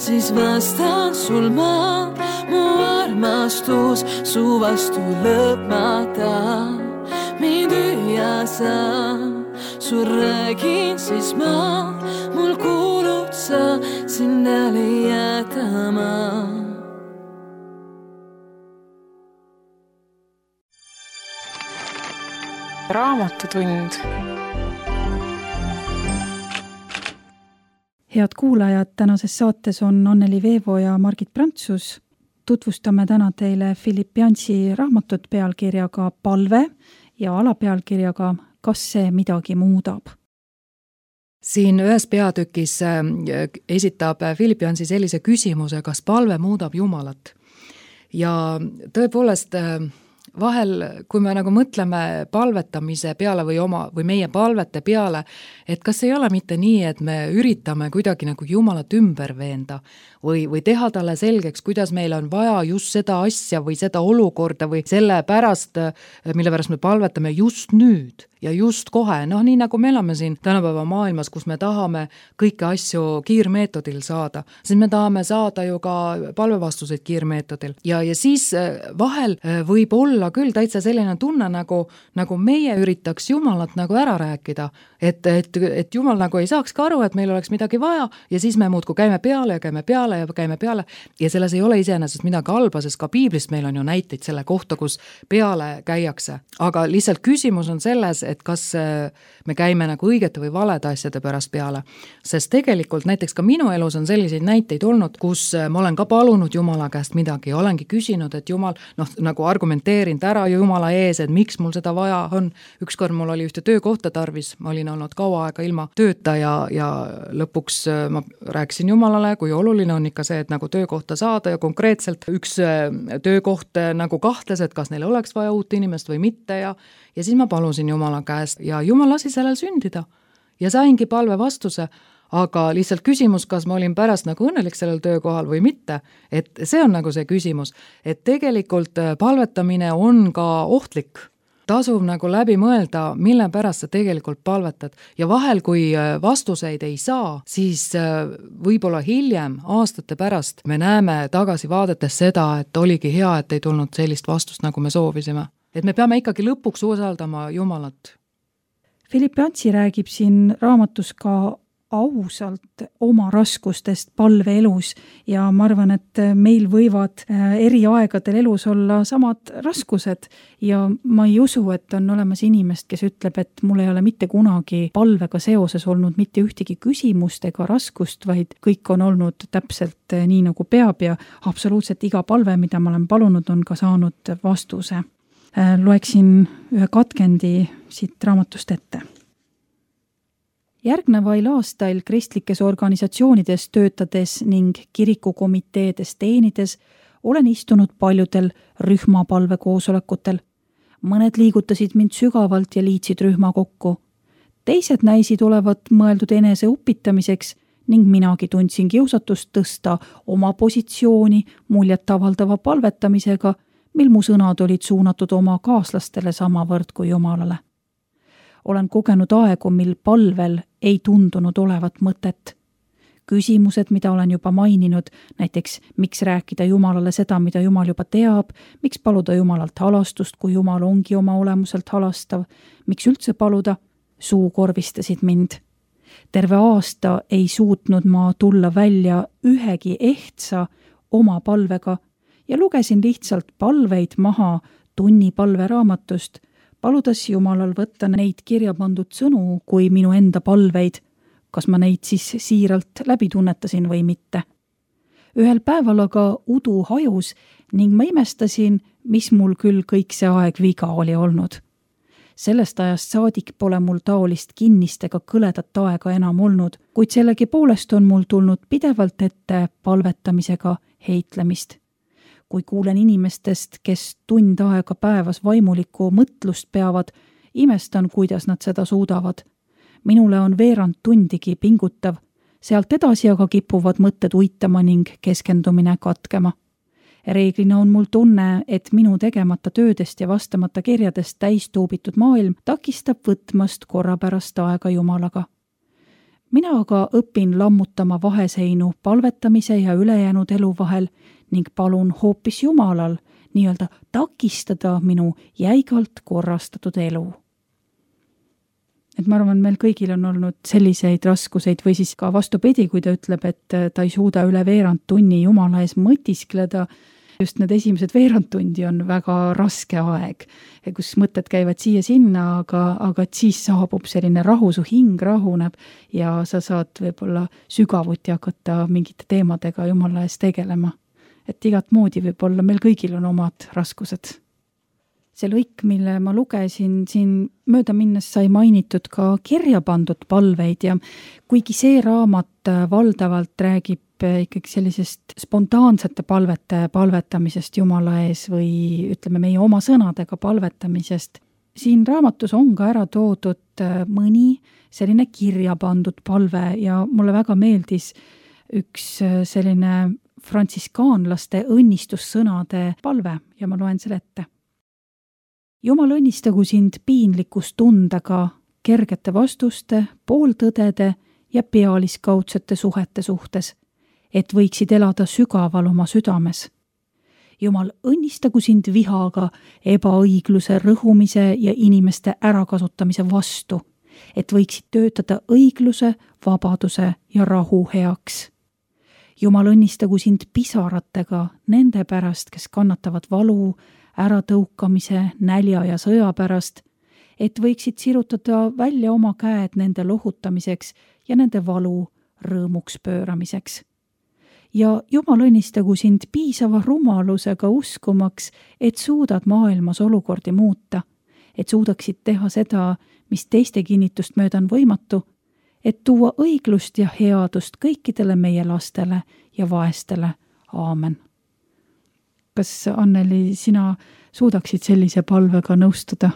Siis vastan sul ma, mu armastus su vastu lõpmata. Mind hüüa sa, sul räägin siis ma, mul kuulud sa sind jälle jätama. Raamatutund. Head kuulajad, tänases saates on Anneli Veevo ja Margit Prantsus. Tutvustame täna teile Philip Jansi raamatut pealkirjaga Palve ja alapealkirjaga Kas see midagi muudab? Siin ühes peatükis esitab Philip Jansi sellise küsimuse, kas palve muudab Jumalat. Ja tõepoolest vahel, kui me nagu mõtleme palvetamise peale või meie palvete peale, et kas ei ole mitte nii, et me üritame kuidagi nagu Jumalat ümber veenda või teha talle selgeks, kuidas meil on vaja just seda asja või seda olukorda või selle pärast, mille pärast me palvetame just nüüd ja just kohe. Nii nagu me elame siin tänapäeva maailmas, kus me tahame kõiki asju kiirmeetodil saada, siis me tahame saada ju ka palvevastuseid kiirmeetodil. Ja siis vahel võib olla küll täitsa selline tunne, nagu meie üritaks Jumalat nagu ära rääkida, et Jumal nagu ei saaks ka aru, et meil oleks midagi vaja ja siis me muudku käime peale ja selles ei ole iseenesest midagi halba, sest ka piiblist meil on ju näiteid selle kohta, kus peale käiakse. Aga lihtsalt küsimus on selles, et kas me käime nagu õigete või valede asjade pärast peale. Sest tegelikult näiteks ka minu elus on selliseid näiteid olnud, kus ma olen ka palunud Jumala käest midagi ja olengi küsinud, et Jumal, nagu argumenteerinud ära Jumala ees, et miks mul seda vaja on. Ükskord mul oli ühte töökohta tarvis, ma olin olnud kaua aega ilma tööta ja lõpuks ma rääkisin Jumalale, kui oluline on ikka see, et nagu töökohta saada ja konkreetselt üks töökoht nagu kahtles, et kas neil oleks vaja uut inimest või mitte ja siis ma palusin Jumala käest ja Jumal lasi sellel sündida ja saingi palve vastuse, aga lihtsalt küsimus, kas ma olin pärast nagu õnnelik sellel töökohal või mitte, et see on nagu see küsimus, et tegelikult palvetamine on ka ohtlik. Tasub nagu läbi mõelda, mille pärast sa tegelikult palvetad ja vahel, kui vastuseid ei saa, siis võib-olla hiljem, aastate pärast, me näeme tagasi vaadetes seda, et oligi hea, et ei tulnud sellist vastust, nagu me soovisime. Et me peame ikkagi lõpuks usaldama Jumalat. Philip Jansi räägib siin raamatus ka ausalt oma raskustest palveelus ja ma arvan, et meil võivad eri aegadel elus olla samad raskused ja ma ei usu, et on olemas inimest, kes ütleb, et mul ei ole mitte kunagi palvega seoses olnud mitte ühtegi küsimust ega raskust, vaid kõik on olnud täpselt nii, nagu peab ja absoluutselt iga palve, mida ma olen palunud, on ka saanud vastuse. Loeksin ühe katkendi siit raamatust ette. Järgnevail aastail kristlikes organisatsioonides töötades ning kirikukomiteedes teenides olen istunud paljudel rühmapalve koosolekutel. Mõned liigutasid mind sügavalt ja liitsid rühma kokku. Teised näisid olevat mõeldud enese upitamiseks ning minagi tundsin kiusatust tõsta oma positsiooni muljet avaldava palvetamisega, mil mu sõnad olid suunatud oma kaaslastele samavõrd kui Jumalale. Olen kogenud aegu, mil palvel ei tundunud olevat mõtet. Küsimused, mida olen juba maininud, näiteks miks rääkida Jumalale seda, mida Jumal juba teab, miks paluda Jumalalt halastust, kui Jumal ongi oma olemuselt halastav, miks üldse paluda, suukorvistasid mind. Terve aasta ei suutnud ma tulla välja ühegi ehtsa oma palvega ja lugesin lihtsalt palveid maha tunni palveraamatust, paludes Jumalal võtta neid kirja pandud sõnu kui minu enda palveid, kas ma neid siis siiralt läbi tunnetasin või mitte. Ühel päeval aga udu hajus ning ma imestasin, mis mul küll kõik see aeg viga oli olnud. Sellest ajast saadik pole mul taolist kinnist ega kõledat aega enam olnud, kuid sellegipoolest on mul tulnud pidevalt ette palvetamisega heitlemist. Kui kuulen inimestest, kes tund aega päevas vaimulikku mõtlust peavad, imestan, kuidas nad seda suudavad. Minule on veerand tundigi pingutav, sealt edasi aga kipuvad mõtted uitama ning keskendumine katkema. Reeglina on mul tunne, et minu tegemata töödest ja vastamata kirjadest täistuubitud maailm takistab võtmast korrapärast aega Jumalaga. Mina aga õpin lammutama vaheseinu palvetamise ja ülejäänud elu vahel ning palun hoopis Jumalal nii-öelda takistada minu jäigalt korrastatud elu. Et ma arvan, meil kõigil on olnud selliseid raskuseid või siis ka vastupidi, kui ta ütleb, et ta ei suuda üle veerand tunni Jumala ees mõtiskleda. Just need esimesed veerand tundi on väga raske aeg, kus mõtted käivad siia-sinna, aga siis saabub selline rahu, su hing rahuneb ja sa saad võib-olla sügavuti hakata mingite teemadega Jumala ees tegelema. Et igat moodi võib-olla meil kõigil on omad raskused. See lõik, mille ma lugesin, siin mööda minnes sai mainitud ka kirja pandud palveid ja kuigi see raamat valdavalt räägib ikkagi sellisest spontaansete palvete palvetamisest Jumala ees või ütleme meie oma sõnadega palvetamisest, siin raamatus on ka ära toodud mõni selline kirja pandud palve ja mulle väga meeldis üks selline frantsiskaanlaste õnnistussõnade palve ja ma loen selle ette. Jumal õnnistagu sind piinlikkustundega, kergete vastuste, pooltõdede ja pealiskaudsete suhete suhtes, et võiksid elada sügaval oma südames. Jumal õnnistagu sind vihaga ebaõigluse rõhumise ja inimeste ärakasutamise vastu, et võiksid töötada õigluse, vabaduse ja rahu heaks. Jumal õnnistagu sind pisaratega nende pärast, kes kannatavad valu, äratõukamise, nälja ja sõja pärast, et võiksid sirutada välja oma käed nende lohutamiseks ja nende valu rõõmuks pööramiseks. Ja Jumal õnnistagu sind piisava rumalusega uskumaks, et suudad maailmas olukordi muuta, et suudaksid teha seda, mis teiste kinnitust mööda on võimatu, et tuua õiglust ja headust kõikidele meie lastele ja vaestele. Aamen. Kas, Anneli, sina suudaksid sellise palvega nõustuda?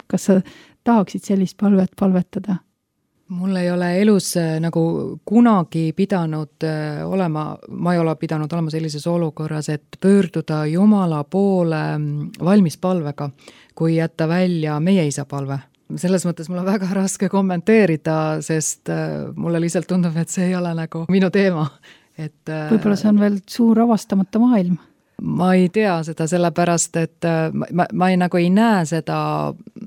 Kas sa tahaksid sellist palvet palvetada? Mul ei ole elus nagu kunagi pidanud olema, ma ei ole pidanud olema sellises olukorras, et pöörduda Jumala poole valmis palvega, kui jätta välja meie isa palve. Selles mõttes mul on väga raske kommenteerida, sest mulle lihtsalt tundub, et see ei ole nagu minu teema. Võib-olla see on veel suur avastamata maailm. Ma ei tea seda sellepärast, et ma ei näe seda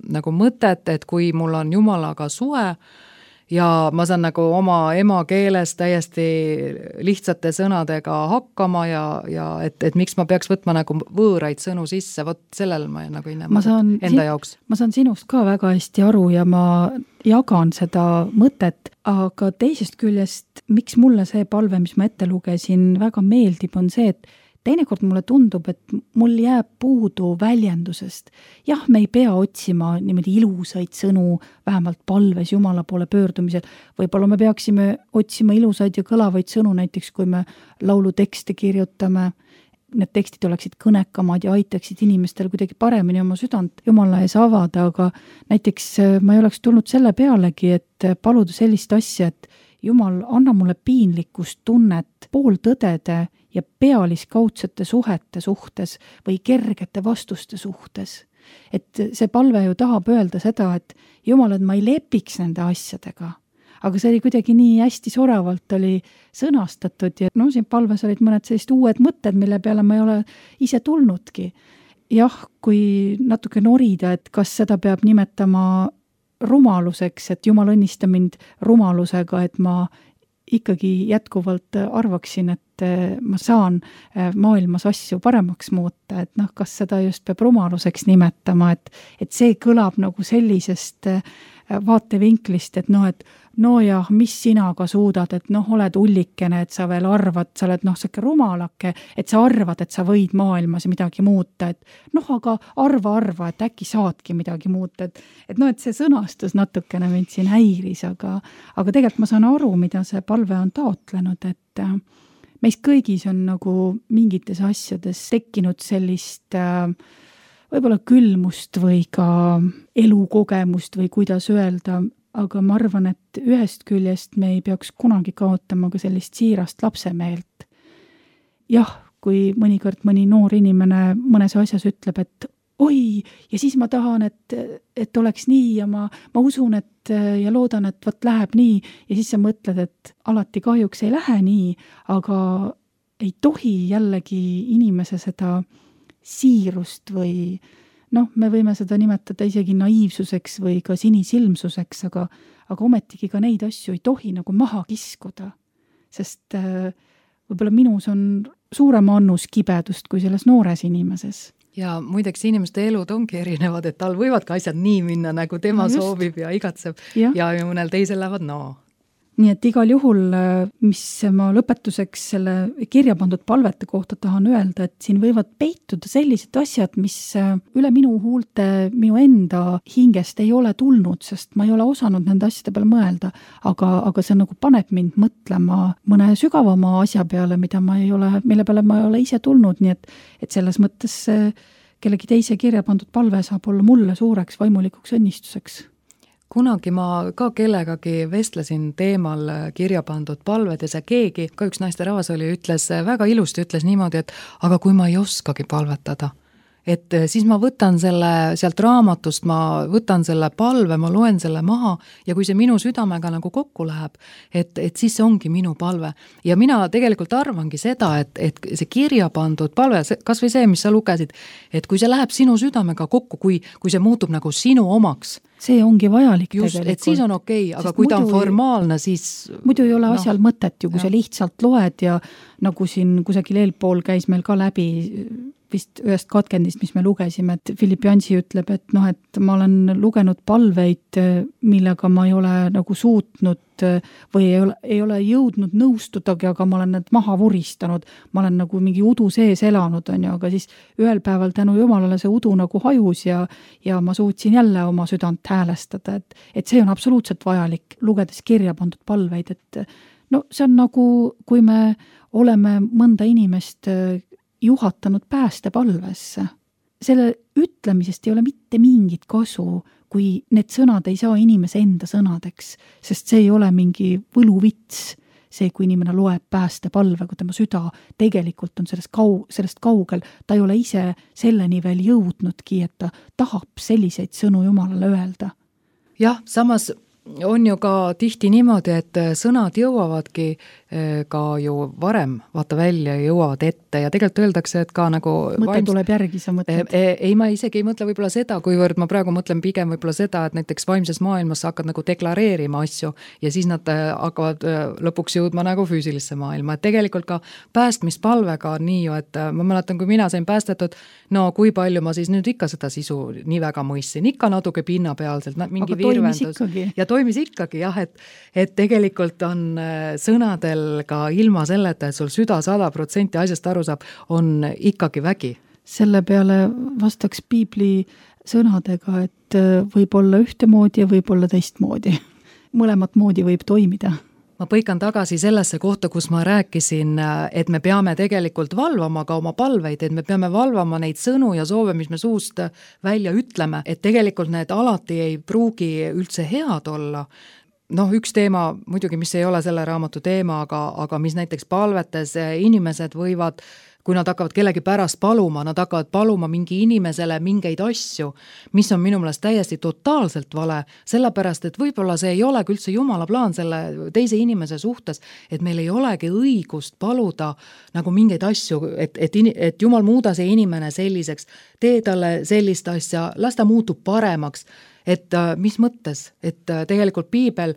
nagu mõtet, et kui mul on Jumalaga suhe ja ma saan nagu oma emakeeles täiesti lihtsate sõnadega hakkama ja et miks ma peaks võtma nagu võõraid sõnu sisse, vot sellel ma nagu ei näe enda jaoks. Ma saan sinust ka väga hästi aru ja ma jagan seda mõtet, aga teisest küljest, miks mulle see palve, mis ma ette lugesin, väga meeldib, on see, et teinekord mulle tundub, et mul jääb puudu väljendusest. Jah, me ei pea otsima niimoodi ilusaid sõnu, vähemalt palves Jumala poole pöördumisel. Võib-olla me peaksime otsima ilusaid ja kõlavaid sõnu, näiteks kui me laulu tekste kirjutame. Need tekstid oleksid kõnekamad ja aitaksid inimestel kuidagi paremini oma südant Jumala ees avada, aga näiteks ma ei oleks tulnud selle pealegi, et paluda sellist asja, et Jumal, anna mulle piinlikkust tunnet pooltõdede ja pealiskaudsete suhete suhtes või kergete vastuste suhtes. et see palve ju tahab öelda seda, et Jumal, et ma ei lepiks nende asjadega. Aga see oli kuidagi nii hästi soravalt oli sõnastatud ja no siin palves olid mõned sellised uued mõtted, mille peale ma ei ole ise tulnudki. Jah, kui natuke norida, et kas seda peab nimetama rumaluseks, et Jumal õnnista mind rumalusega, et ma ikkagi jätkuvalt arvaksin, et ma saan maailmas asju paremaks muuta, et noh, kas seda just peab rumaluseks nimetama, et see kõlab nagu sellisest vaatevinklist, et noh, et no jah, mis sina ka suudad, et noh, oled ullikene, et sa veel arvad, sa oled noh, siuke rumalake, et sa arvad, et sa võid maailmas midagi muuta, et noh, aga arva, et äkki saadki midagi muuta, et noh, et see sõnastus natukene mind siin häiris, aga tegelikult ma saan aru, mida see palve on taotlenud, et meis kõigis on nagu mingites asjades tekkinud sellist võib-olla külmust või ka elukogemust või kuidas öelda, aga ma arvan, et ühest küljest me ei peaks kunagi kaotama ka sellist siirast lapsemeelt. Jah, kui mõnikord mõni noor inimene mõnes asjas ütleb, et oi, ja siis ma tahan, et oleks nii ja ma usun, et ja loodan, et võt läheb nii ja siis sa mõtled, et alati kahjuks ei lähe nii, aga ei tohi jällegi inimese seda siirust või noh, me võime seda nimetada isegi naiivsuseks või ka sinisilmsuseks, aga ometigi ka neid asju ei tohi nagu maha kiskuda, sest võib-olla minus on suurem annus kibedust kui selles noores inimeses. Ja muideks inimeste elud ongi erinevad, et tal võivad ka asjad nii minna, nagu tema soovib ja igatseb ja mõnel teisel lähevad Nii et igal juhul, mis ma lõpetuseks selle kirja pandud palvete kohta tahan öelda, et siin võivad peituda sellised asjad, mis üle minu huulte, minu enda hingest ei ole tulnud, sest ma ei ole osanud nende asjade peale mõelda, aga see nagu paneb mind mõtlema mõne sügavama asja peale, mille peale ma ei ole ise tulnud, nii et selles mõttes kellegi teise kirja pandud palve saab olla mulle suureks vaimulikuks õnnistuseks. Kunagi ma ka kellegagi vestlesin teemal kirja pandud palved ja see keegi, ka üks naisterahvas oli, väga ilusti ütles niimoodi, et aga kui ma ei oskagi palvetada, et siis ma võtan selle sealt raamatust, ma võtan selle palve, ma loen selle maha ja kui see minu südamega nagu kokku läheb, et siis see ongi minu palve. Ja mina tegelikult arvangi seda, et see kirja pandud palve, kas või see, mis sa lugesid, et kui see läheb sinu südamega kokku, kui see muutub nagu sinu omaks, see ongi vajalik just, tegelikult. Et siis on okei, aga kui ta on formaalne, siis muidu ei ole asjal mõtet ju, kui sa lihtsalt loed ja nagu siin kusagil eelpool käis meil ka läbi vist ühest katkendist, mis me lugesime, et Philip Jansi ütleb, et noh, et ma olen lugenud palveid, millega ma ei ole nagu suutnud või ei ole jõudnud nõustudagi, aga ma olen need maha vuristanud, ma olen nagu mingi udu sees elanud, on ju, aga siis ühel päeval tänu Jumalale see udu nagu hajus ja ma suutsin jälle oma südant häälestada, et see on absoluutselt vajalik, lugedes kirja pandud palveid, et no see on nagu, kui me oleme mõnda inimest juhatanud päästepalvesse. Selle ütlemisest ei ole mitte mingit kasu, kui need sõnad ei saa inimese enda sõnadeks, sest see ei ole mingi võluvits, see, kui inimene loeb päästepalve, kui tema süda tegelikult on sellest kaugel, ta ei ole ise selleni veel jõudnudki, et ta tahab selliseid sõnu Jumalale öelda. Jah, samas on ju ka tihti niimoodi, et sõnad jõuavadki ka ju varem vaata välja ja jõuavad ette ja tegelikult öeldakse, et ka nagu mõte tuleb järgi, sa mõtled? Ei, ma isegi ei mõtle võib-olla seda, kuivõrd ma praegu mõtlen pigem võib-olla seda, et näiteks vaimses maailmas sa hakkad nagu deklareerima asju ja siis nad hakkavad lõpuks jõudma nagu füüsilisse maailma, et tegelikult ka päästmispalvega on nii ju, et ma mäletan, kui mina sain päästetud, no kui palju ma siis nüüd ikka seda sisu nii väga mõistsin, ikka natuke pinnapealselt, mingi virvendus ja toimis ikkagi jah, et tegelikult on sõnadel ka ilma selleta, et sul süda 100% asjast aru saab, on ikkagi vägi. Selle peale vastaks piibli sõnadega, et võib olla ühtemoodi ja võib olla teistmoodi. Mõlemat moodi võib toimida. Ma põikan tagasi sellesse kohta, kus ma rääkisin, et me peame tegelikult valvama ka oma palveid, et me peame valvama neid sõnu ja soove, mis me suust välja ütleme, et tegelikult need alati ei pruugi üldse head olla. üks teema muidugi, mis ei ole selle raamatu teema, aga mis näiteks palvetes inimesed võivad, kui nad hakkavad kellegi pärast paluma, nad hakkavad paluma mingi inimesele mingeid asju, mis on minu meelest täiesti totaalselt vale, sellepärast, et võib-olla see ei olegi üldse Jumala plaan selle teise inimese suhtes, et meil ei olegi õigust paluda nagu mingeid asju, et Jumal muuda see inimene selliseks, tee talle sellist asja, las ta muutub paremaks. Et mis mõttes, et tegelikult Piibel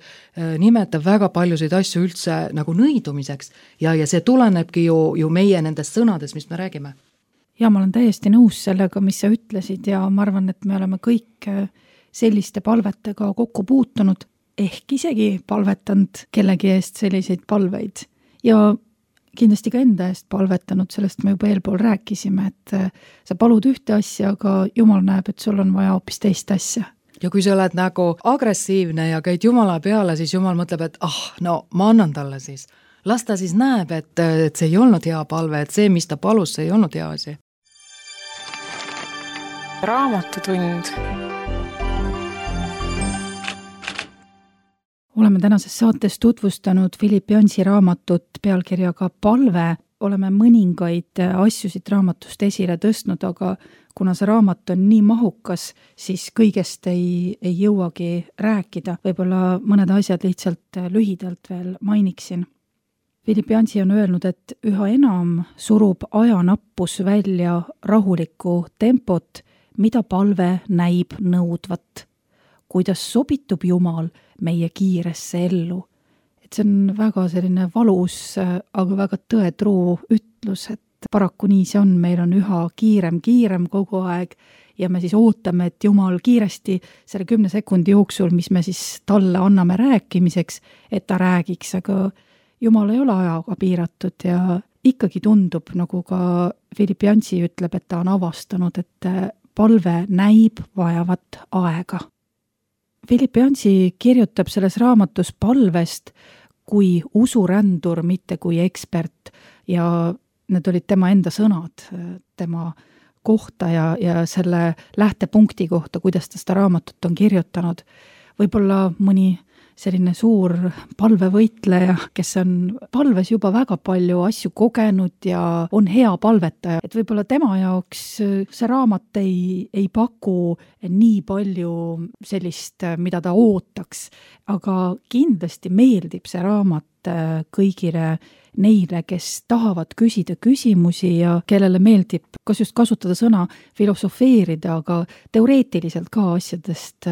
nimetab väga paljusid asju üldse nagu nõidumiseks ja see tulenebki ju meie nendest sõnadest, mis me räägime. Ja ma olen täiesti nõus sellega, mis sa ütlesid ja ma arvan, et me oleme kõik selliste palvetega kokku puutunud, ehk isegi palvetanud kellegi eest selliseid palveid ja kindlasti ka enda eest palvetanud, sellest me juba eelpool rääkisime, et sa palud ühte asja, aga Jumal näeb, et sul on vaja hoopis teist asja. Ja kui sa oled nagu agressiivne ja käid Jumala peale, siis Jumal mõtleb, et ma annan talle siis. Las ta siis näeb, et see ei olnud hea palve, et see, mis ta palus, see ei olnud hea asi. Raamatutund. Oleme tänases saates tutvustanud Philip Jansi raamatut pealkirjaga Palve. Oleme mõningaid asjusid raamatust esile tõstnud, aga kuna see raamat on nii mahukas, siis kõigest ei jõuagi rääkida. Võib-olla mõned asjad lihtsalt lühidalt veel mainiksin. Philip Jansi on öelnud, et üha enam surub ajanappus välja rahulikku tempot, mida palve näib nõudvat. Kuidas sobitub Jumal meie kiiresse ellu. See on väga selline valus, aga väga tõetruu ütlus, et paraku nii see on, meil on üha kiirem kogu aeg ja me siis ootame, et Jumal kiiresti selle 10 sekundi jooksul, mis me siis talle anname rääkimiseks, et ta räägiks, aga Jumal ei ole ajaga piiratud ja ikkagi tundub, nagu ka Philip Jansi ütleb, et ta on avastanud, et palve näib vajavat aega. Philip Jansi kirjutab selles raamatus palvest kui usurändur, mitte kui ekspert ja need olid tema enda sõnad, tema kohta ja selle lähtepunkti kohta, kuidas ta seda raamatut on kirjutanud. Võib-olla mõni selline suur palvevõitleja, kes on palves juba väga palju asju kogenud ja on hea palvetaja. Et võib-olla tema jaoks see raamat ei paku nii palju sellist, mida ta ootaks, aga kindlasti meeldib see raamat kõigile neile, kes tahavad küsida küsimusi ja kellele meeldib kas just kasutada sõna filosofeerida, aga teoreetiliselt ka asjadest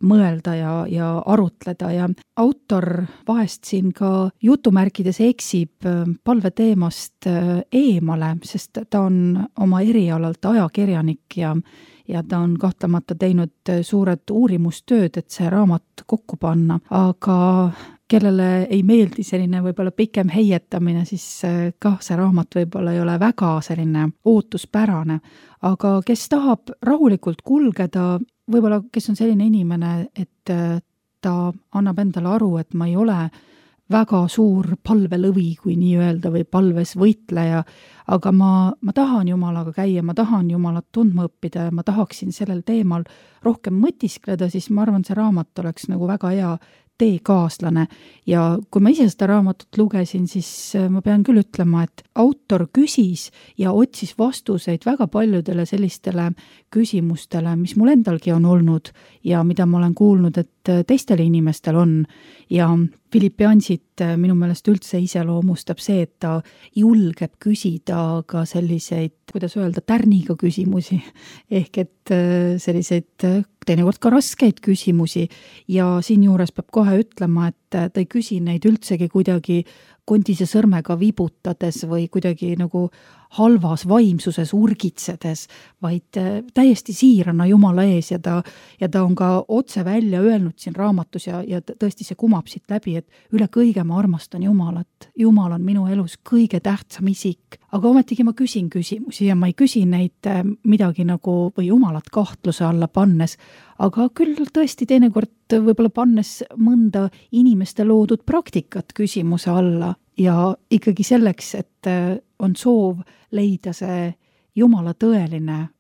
mõelda ja arutleda ja autor vahest siin ka jutumärkides eksib palveteemast eemale, sest ta on oma erialalt ajakirjanik ja ta on kahtlemata teinud suured uurimustööd, et see raamat kokku panna, aga kellele ei meeldi selline võib-olla pikem heietamine, siis kah see raamat võib-olla ei ole väga selline ootuspärane, aga kes tahab rahulikult kulgeda, võib-olla kes on selline inimene, et ta annab endale aru, et ma ei ole väga suur palvelõvi, kui nii öelda, või palves võitleja, aga ma tahan Jumalaga käia, ma tahan Jumalat tundma õppida ja ma tahaksin sellel teemal rohkem mõtiskleda, siis ma arvan, see raamat oleks nagu väga hea teekaaslane ja kui ma ise seda raamatut lugesin, siis ma pean küll ütlema, et autor küsis ja otsis vastuseid väga paljudele sellistele küsimustele, mis mul endalgi on olnud ja mida ma olen kuulnud, et teistel inimestel on ja Philip Jansit minu meelest üldse iseloomustab see, et ta julgeb küsida ka selliseid, kuidas öelda, tärniga küsimusi, ehk et selliseid teinekord ka raskeid küsimusi ja siinjuures peab kohe ütlema, et ta ei küsi neid üldsegi kuidagi kondise sõrmega vibutades või kuidagi nagu halvas vaimsuses urgitsedes, vaid täiesti siirana Jumala ees ja ta on ka otse välja öelnud siin raamatus ja tõesti see kumab siit läbi, et üle kõige ma armastan Jumalat. Jumal on minu elus kõige tähtsam isik, aga ometigi ma küsin küsimusi ja ma ei küsi neid midagi nagu või Jumalat kahtluse alla pannes, aga küll tõesti teinekord võib-olla pannes mõnda inimeste loodud praktikat küsimuse alla ja ikkagi selleks, et on soov leida see Jumala tõeline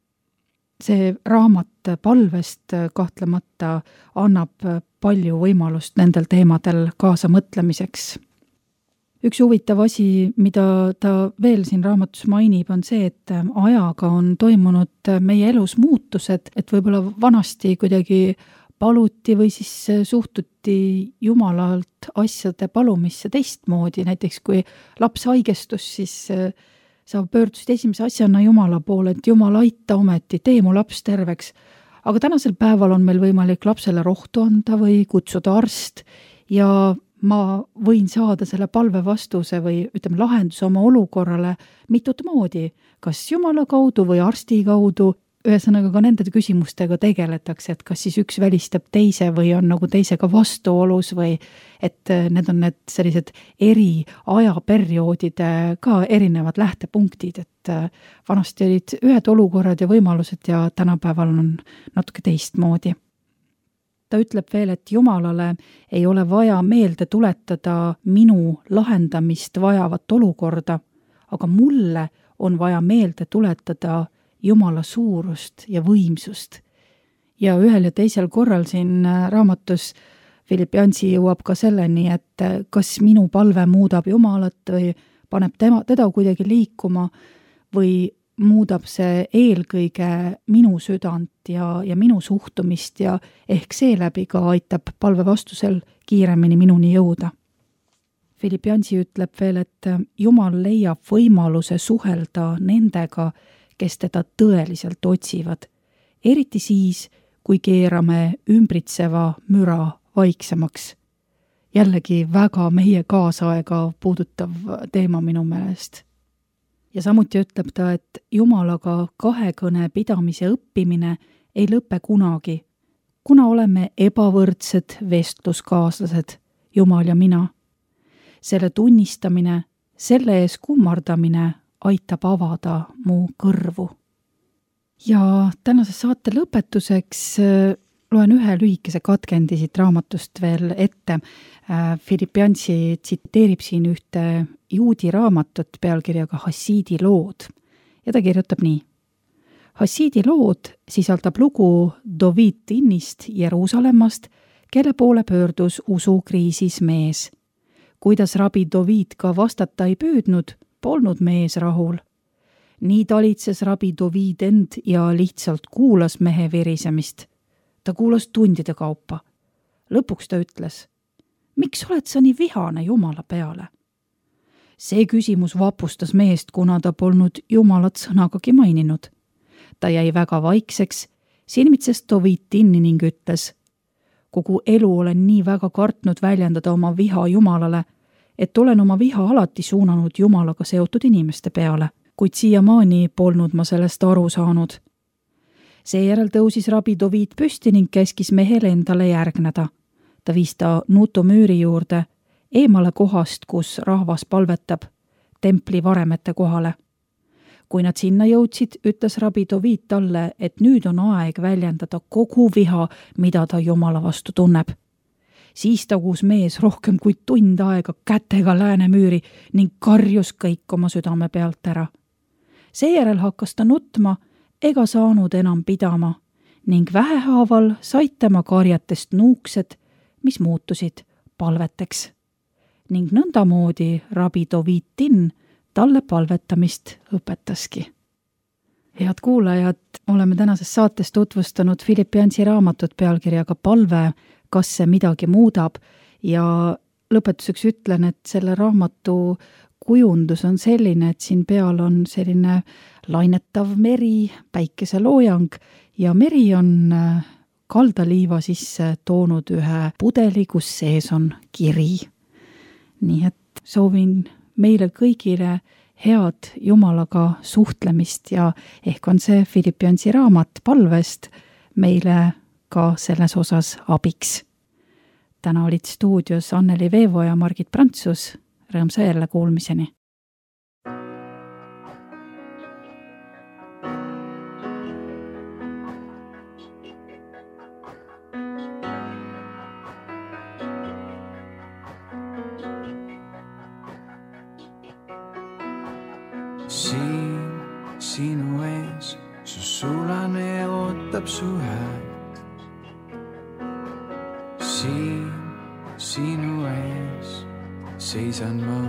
see raamat palvest kahtlemata annab palju võimalust nendel teemadel kaasa mõtlemiseks. Üks huvitav asi, mida ta veel siin raamatus mainib, on see, et ajaga on toimunud meie elus muutused, et võib-olla vanasti kuidagi paluti või siis suhtuti Jumalalt asjade palumisse teistmoodi, näiteks kui laps haigestus, siis sa pöördusid esimese asjana Jumala poole, et Jumal aita ometi, tee mu laps terveks. Aga tänasel päeval on meil võimalik lapsele rohtu anda või kutsuda arst ja ma võin saada selle palve vastuse või ütleme lahenduse oma olukorrale mitut moodi, kas Jumala kaudu või arsti kaudu. Ühesõnaga ka nende küsimustega tegeletakse, et kas siis üks välistab teise või on nagu teisega vastuolus või et need on need sellised eri ajaperioodide ka erinevad lähtepunktid, et vanasti olid ühed olukorrad ja võimalused ja tänapäeval on natuke teistmoodi. Ta ütleb veel, et Jumalale ei ole vaja meelde tuletada minu lahendamist vajavat olukorda, aga mulle on vaja meelde tuletada Jumala suurust ja võimsust. Ja ühel ja teisel korral siin raamatus Philippiansi jõuab ka selleni, et kas minu palve muudab Jumalat või paneb teda kuidagi liikuma või muudab see eelkõige minu südant ja minu suhtumist ja ehk seeläbi ka aitab palve vastusel kiiremini minuni jõuda. Philippiansi ütleb veel, et Jumal leiab võimaluse suhelda nendega, kes teda tõeliselt otsivad, eriti siis, kui keerame ümbritseva müra vaiksemaks. Jällegi väga meie kaasaega puudutav teema minu meelest. Ja samuti ütleb ta, et Jumalaga kahekõne pidamise õppimine ei lõpe kunagi, kuna oleme ebavõrdsed vestluskaaslased, Jumal ja mina. Selle tunnistamine, selle ees kummardamine aitab avada mu kõrvu. Ja tänase saate lõpetuseks loen ühe lühikese katkendi siit raamatust veel ette. Philippiansi tsiteerib siin ühte juudi raamatut pealkirjaga Hassiidi lood ja ta kirjutab nii. Hassiidi lood sisaldab lugu Dovid Tinnist Jeruusalemmast, kelle poole pöördus usukriisis mees. Kuidas rabi Dovid ka vastata ei püüdnud, polnud mees rahul. Nii talitses rabi Dovid end ja lihtsalt kuulas mehe virisemist. Ta kuulas tundide kaupa. Lõpuks ta ütles, miks oled sa nii vihane Jumala peale? See küsimus vapustas meest, kuna ta polnud Jumalat sõnagagi maininud. Ta jäi väga vaikseks, silmitses Dovid Tinni ning ütles, kogu elu olen nii väga kartnud väljendada oma viha Jumalale, et olen oma viha alati suunanud Jumalaga seotud inimeste peale, kuid siiamaani polnud ma sellest aru saanud. Seejärel tõusis rabi Dovid püsti ning käskis mehele endale järgneda. Ta viis ta Nuto müüri juurde, eemale kohast, kus rahvas palvetab, templi varemete kohale. Kui nad sinna jõudsid, ütles rabi Dovid talle, et nüüd on aeg väljendada kogu viha, mida ta Jumala vastu tunneb. Siis tagus mees rohkem kui tund aega kätega läänemüüri ning karjus kõik oma südame pealt ära. Seejärel hakkas ta nutma ega saanud enam pidama ning vähehaaval said tema karjatest nuuksed, mis muutusid palveteks. Ning nõndamoodi rabi Dovid Tinn talle palvetamist õpetaski. Head kuulajad, oleme tänases saates tutvustanud Philippiansi raamatut pealkirjaga Palve, kas see midagi muudab ja lõpetuseks ütlen, et selle raamatu kujundus on selline, et siin peal on selline lainetav meri, päikeseloojang ja meri on kaldaliiva sisse toonud ühe pudeli, kus sees on kiri. Nii et soovin meile kõigile head Jumalaga suhtlemist ja ehk on see Philippiansi raamat palvest meile ka selles osas abiks. Täna olid stuudios Anneli Veevo ja Margit Prantsus. Rõõmsa jälle kuulmiseni. Siin sinu ees su sulane ootab su häält. Siin sinu ees seisan ma.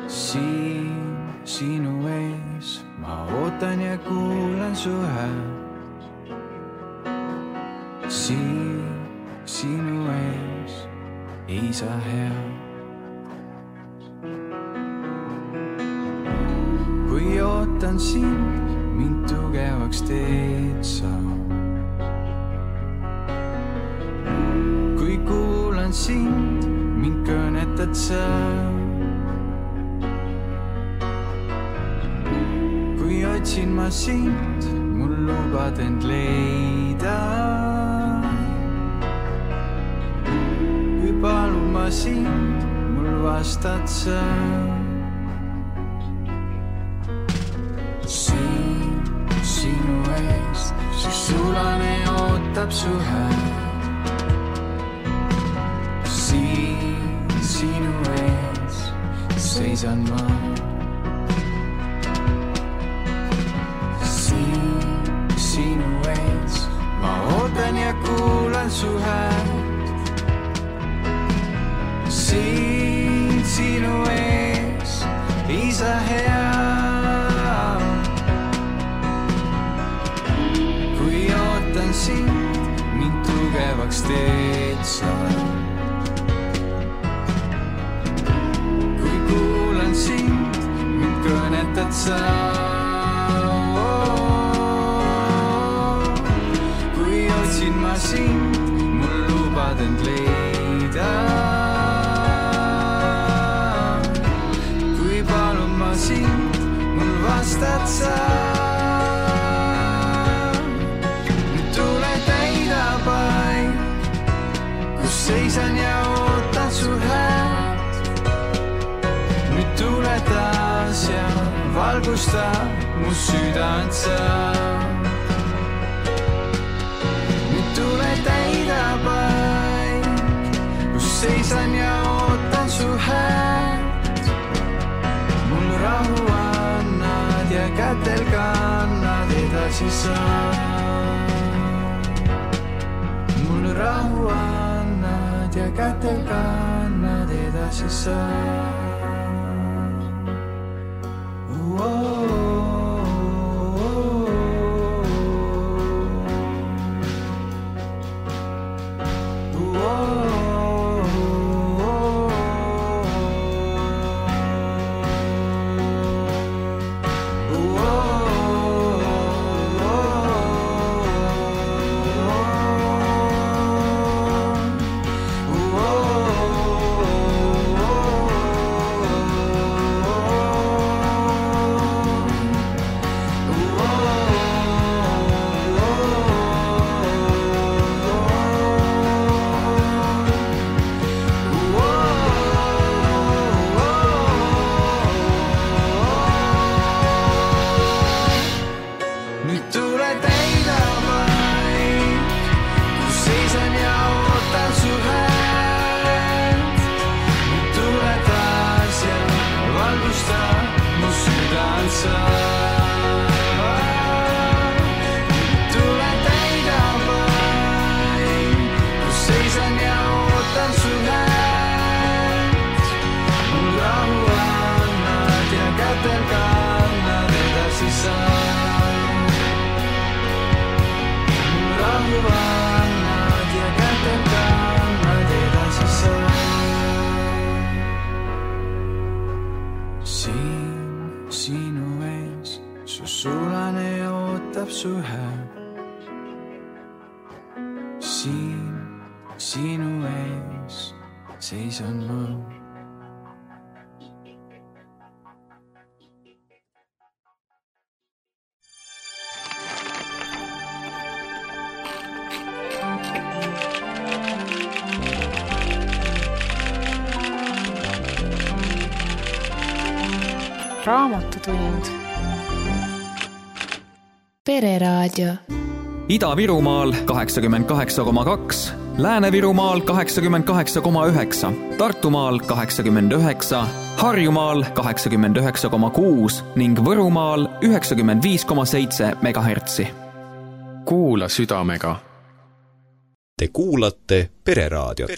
Siin sinu ees ma ootan ja kuulan su häält. Siin sinu ees isa hea. Kui ootan sind, mind tugevaks teed sa. Kui kuulan sind, mind kõnetad sa. Kui otsin ma sind, mul lubad end leida. Kui palun ma sind, mul vastad sa. Siin sinu ees, su sulane ootab su häält. Siin sinu ees seisan ma. Siin sinu ees ma ootan ja kuulan su häält. Siin sinu ees isa hea. Sind, mind tugevaks teed sa. Kui kuulan sind, mind kõnetad sa. Kui otsin ma sind, mul lubad end leida. Kui palun ma sind, mul vastad sa. Seisan ja ootan su häält. Nüüd tule taas ja valgusta mu südant sa. Nüüd tule täida paik, kus seisan ja ootan su häält. Mul rahu annad ja kätel kannad edasi sa. Mul rahu annad ja kätel kannad edasi sa. Sinu ees seisan ma. Raamatutund. Pereraadio. Ida-Virumaal 88,2, Lääne-Virumaal 88,9, Tartumaal 89, Harjumaal 89,6 ning Võrumaal 95,7 megahertsi. Kuula südamega. Te kuulate Pereraadiot.